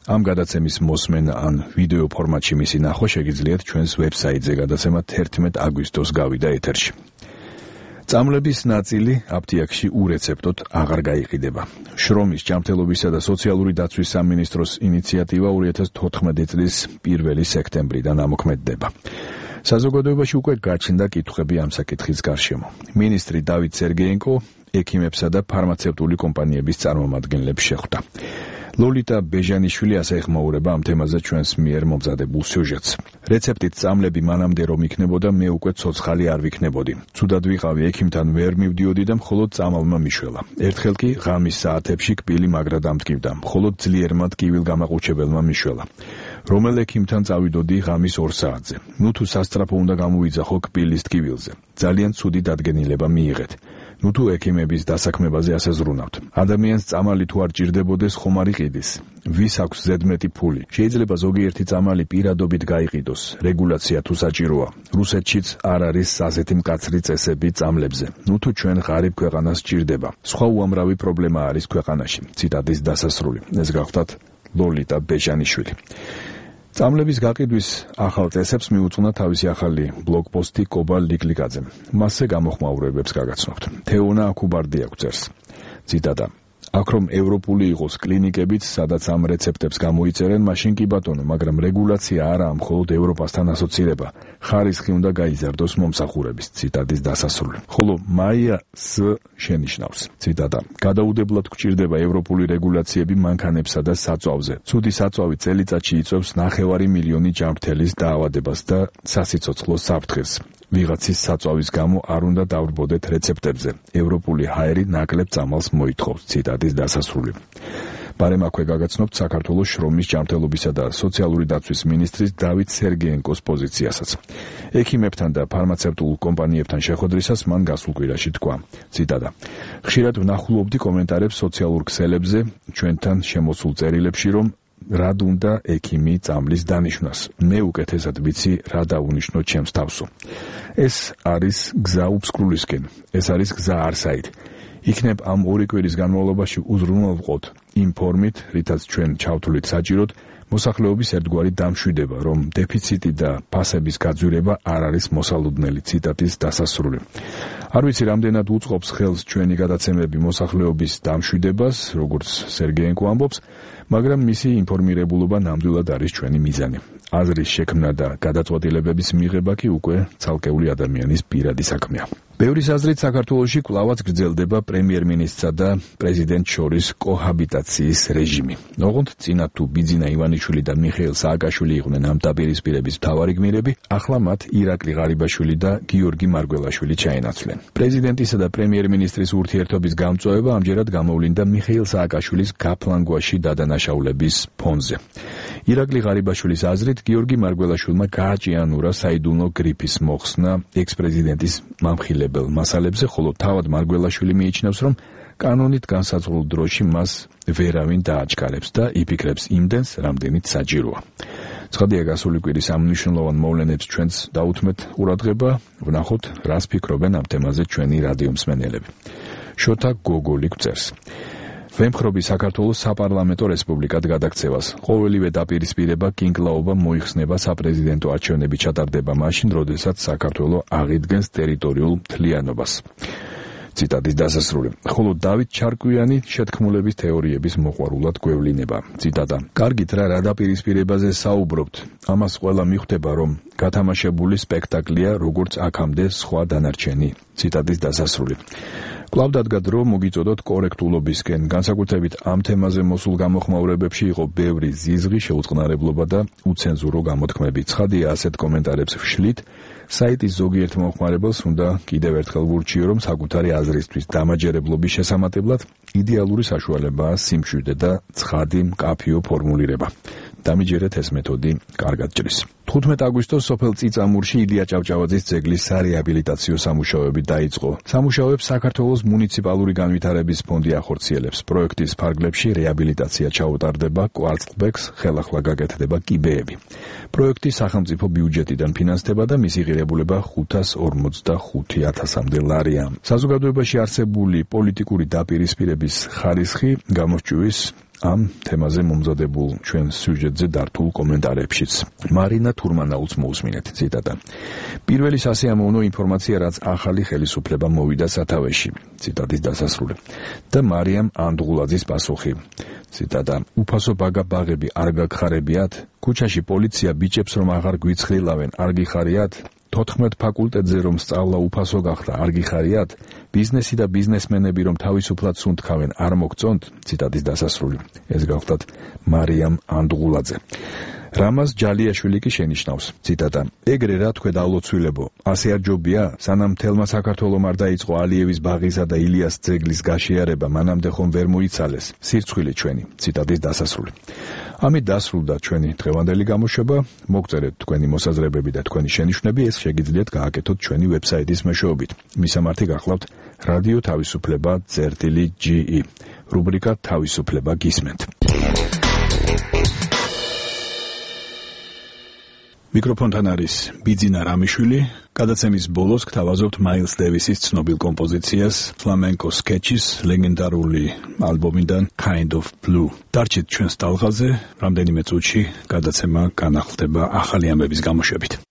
ამ გადაცემის მოსმენა ან ვიდეო ფორმატში მისი ნახვა შეგიძლიათ ჩვენს ვებსაიტზე, გადაცემა 11 აგვისტოს გავიდა ეთერში. წამლების ნაწილი აფთიაქში ურეცეპტოდ აღარ გაიყიდება. შრომის, ჯანმრთელობისა და სოციალური დაცვის სამინისტროს ინიციატივა 2014 წლის 1 სექტემბრიდან ამოქმედდება. საზოგადოებაში უკვე გაჩნდა კითხვები ამ საკითხის გარშემო. მინისტრი დავით სერგეენკო ექიმებსა და ფარმაცევტული კომპანიების წარმომადგენლებს შეხვდა. ლოლიტა ბეჟანიშვილი ასე ეხმაურება ამ თემაზე ჩვენს მიერ მომზადებულ სიუჟეტს. რეცეპტით წამლები მანამდე რომ იქნებოდა, მე უკვე ცოცხალი არ ვიქნებოდი. ცუდად ვიყავი, ექიმთან ვერ მივდიოდი და მხოლოდ წამალმა მიშველა. ერთხელ კი ღამის საათებში კბილი მაგრა დამტკივდა, მხოლოდ ძლიერმა ტკივილგამაყუჩებელმა მიშველა. რომელ ექიმთან წავიდოდი ღამის 2 საათზე. ნუ თუ სასწრაფო უნდა გამოვიძახო კბილის ტკივილზე. ძალიან ცუდი დადგენილება მიიღეთ. ნუ თუ ექიმების დასაქმებაზე ასე ზრუნავთ. ადამიანს წამალი თუ არ ჭირდებოდეს, ხომ არ იყიდის? ვის აქვს ზედმეტი ფული? შეიძლება ზოგიერთი წამალი პირადობით გაიყიდოს. რეგულაცია თუ საჭიროა. რუსეთშიც არ არის ასეთი მკაცრი წესები წამლებზე. ნუ თუ ჩვენ ღარიბ ქვეყანას ჭირდება. სხვა უამრავი პრობლემა არის ქვეყანაში. ციტატის დასასრული. ეს გახლავთ ლოლიტა ბეჟანიშვილი. წამლების გაყიდვის ახალ წესებს მიუძღვნა თავისი ახალი ბლოგპოსტი კობა ლიკლიკაძემ. მასზე გამოხმაურებებს გაგაცნობთ. თეონა აკუბარდი აღწერს. ციტატა: აქ რომ ევროპული იყოს კლინიკებიც, სადაც ამ რეცეპტებს გამოიწერენ, მაშინ კი ბატონო, მაგრამ რეგულაცია არაა მხოლოდ ევროპასთან ასოცირება. ხარისხი უნდა გაიზარდოს მომსახურების. ციტატის დასასრული. ხოლო მაია ს შენიშნავს. ციტატა: გადაუდებლად გვჭირდება ევროპული რეგულაციები მანქანებსა და საწვავზე. ცუდი საწვავი წელიწადში იწვევს 9 მილიონი ჯანმრთელის დაავადებას და სასიცოცხლო საფრთხეს. ვიღაცის საწვავის გამო არ უნდა დავრბოდეთ რეცეპტებზე. ევროპული ჰაერი ნაკლებ წამალს მოითხოვს. ციტატის დასასრული. ბარემ აქვე გაგაცნობთ საქართველოს შრომის, ჯანმრთელობისა და სოციალური დაცვის მინისტრის დავით სერგეენკოს პოზიციასაც. ექიმებთან და ფარმაცევტულ კომპანიებთან შეხვედრისას მან გასულ კვირაში თქვა. ციტატა: ხშირად ვნახულობდი კომენტარებს სოციალურ ქსელებზე, ჩვენთან შემოსულ წერილებში, რომ რად უნდა ექიმი წამლის დანიშვნას. მე უკეთესად ვიცი, რა დაუნიშნო ჩემს თავსო. ეს არის გზა უბსკრულისკენ. ეს არის გზა არსაით. იქნებ ამ 2 კვირის განმავლობაში უზრუნველყოთ იმ ფორმით, რითაც ჩვენ ჩავთვლით საჭიროდ, მოსახლეობის ერთგვარი დამშვიდება, რომ დეფიციტი და ფასების გაძვირება არ არის მოსალოდნელი. ციტატის დასასრული. არ ვიცი, რამდენად უწყობს ხელს ჩვენი გადაცემები მოსახლეობის დამშვიდებას, როგორც სერგეენკო ამბობს, მაგრამ მისი ინფორმირებულობა ნამდვილად არის ჩვენი მიზანი. აზრის შექმნა და გადაწყვეტილებების მიღება კი უკვე ცალკეული ადამიანის პირადი საქმეა. ბევრის აზრით საქართველოში კვლავაც გრძელდება პრემიერ-მინისტრსა და პრეზიდენტს შორის კოჰაბიტაციის რეჟიმი. ოღონდ წინა თუ ბიძინა ივანიშვილი და მიხეილ სააკაშვილი იყვნენ ამ დაპირისპირების მთავარი გმირები, ახლა მათ ირაკლი ღარიბაშვილი და გიორგი მარგველაშვილი ჩაენაცვლენ. პრეზიდენტისა და პრემიერ-მინისტრის ურთიერთობის გამწვავება ამჯერად გამოვლინდა მიხეილ სააკაშვილის გაფლანგვაში დადანაშაულების ფონზე. ირაკლი ღარიბაშვილის აზრით, გიორგი მარგველაშვილმა გააჭიანურა საიდუმლო გრიფის მოხსნა ექს-პრეზიდენტის მამხილებელ მასალებზე, ხოლო თავად მარგველაშვილი მიიჩნევს, რომ კანონით განსაზღვრულ დროში მას ვერავინ დააჩქარებს და იფიქრებს იმდენს, რამდენიც საჭიროა. ცხადია, გასული კვირის ამ მნიშვნელოვან მოვლენებს ჩვენც დაუთმეთ ყურადღება, ვნახოთ, რას ფიქრობენ ამ თემაზე ჩვენი რადიომსმენელები. შოთა გოგოლი გვწერს: ვემხრობი საქართველოს საპარლამენტო რესპუბლიკად გადაქცევას. ყოველივე დაპირისპირება, კინკლაობა მოიხსნება საპრეზიდენტო არჩევნები ჩატარდება მაშინ, როდესაც საქართველო აღიდგენს ტერიტორიულ მთლიანობას. ციტატის დასასრული. ხოლო დავით ჩარკვიანი შეთქმულების თეორიების მოყვარულად გვევლინება. ციტატა: კარგით რა დაპირისპირებაზე საუბრობთ. ამას ყველა მიხვდება, რომ გათამაშებული სპექტაკლია, როგორც აქამდე სხვა დანარჩენი. ციტატის დასასრული. კვლავ დადგა დრო მოგიწოდოთ კორექტულობისკენ. განსაკუთრებით ამ თემაზე მოსულ გამოხმაურებებში იყო ბევრი ზიზღი, შეუწყნარებლობა და უცენზურო გამოთქმები. ცხადია, ასეთ კომენტარებს ვშლით. საიტის ზოგიერთ მომხმარებელს უნდა კიდევ ერთხელ ვურჩიო, რომ საკუთარი აზრისთვის დამაჯერებლობის შესამატებლად იდეალური საშუალებაა სიმშვიდე და ცხადი, მკაფიო ფორმულირება. დამიჯერეთ ეს მეთოდი კარგად ჭრის. 15 აგვისტოს სოფელ წიწამურში ილია ჭავჭავაძის ძეგლის სარეაბილიტაციო სამუშაოები დაიწყო. სამუშაოებს საქართველოს მუნიციპალური განვითარების ფონდი ახორციელებს. პროექტის ფარგლებში რეაბილიტაცია ჩაუტარდება, კვარცხლბეკს ხელახლა გაკეთდება კიბეები. პროექტი სახელმწიფო ბიუჯეტიდან ფინანსდება და მისი ღირებულება 545,000-მდე ლარია. საზოგადოებაში არსებული პოლიტიკური დაპირისპირების ხარისხი გამოსჭვის ამ თემაზე მომზადებულ ჩვენ სიუჟეტზე დართულ კომენტარებშიც. მარინა თურმანაულს მოусმინეთ. ციტატა: პირველი სასიამოვნო ინფორმაცია, რაც ახალი ხელისუფლება მოვიდა სათავეში. ციტატის დასასრული. და მარიამ ანდღულაძის პასუხი. ციტატა: უფასო ბაგა-ბაღები არ გაგხარებიათ? ქუჩაში პოლიცია ბიჭებს რომ აღარ გვიცხრილავენ, არ გიხარიათ? 14 ფაკულტეტზე რომ სწავლა უფასო გახდა, არ გიხარიათ? ბიზნესი და ბიზნესმენები რომ თავისუფლად სუნთქავენ, არ მოგწონთ? ციტატის დასასრული. ეს გახლდათ მარიამ ანდღულაძე. რამაზ ჯალიაშვილი კი შენიშნავს. ციტატა: ეგრე რა თქვენ ალოცვილებო, ასე არ ჯობია? სანამ თელმა საქართველომ არ დაიწყო ალიევის ბაღისა და ილიას ძეგლის გაშიარება, მანამდე ხომ ვერ მოიცალეს სირცხვილი ჩვენი. ციტატის დასასრული. ამით დასრულდა ჩვენი დღევანდელი გამოშვება. მოგწერეთ თქვენი მოსაზრებები და თქვენი შენიშვნები, ეს შეგიძლიათ გააკეთოთ ჩვენი ვებსაიტის მეშვეობით. მისამართი გახლავთ რადიო თავისუფლება.ge. რუბრიკა თავისუფლება გისმენთ. მიკროფონთან არის ბიძინა რამიშვილი. გადაცემის ბოლოს გთავაზობთ მაილს დევისის ცნობილ კომპოზიციას, ფლამენკო სკეჩის ლეგენდარული ალბომიდან Kind of Blue. დარჩით ჩვენს ტალღაზე, რამდენიმე წუთში გადაცემა განახლდება ახალი ამბების გამოშვებით.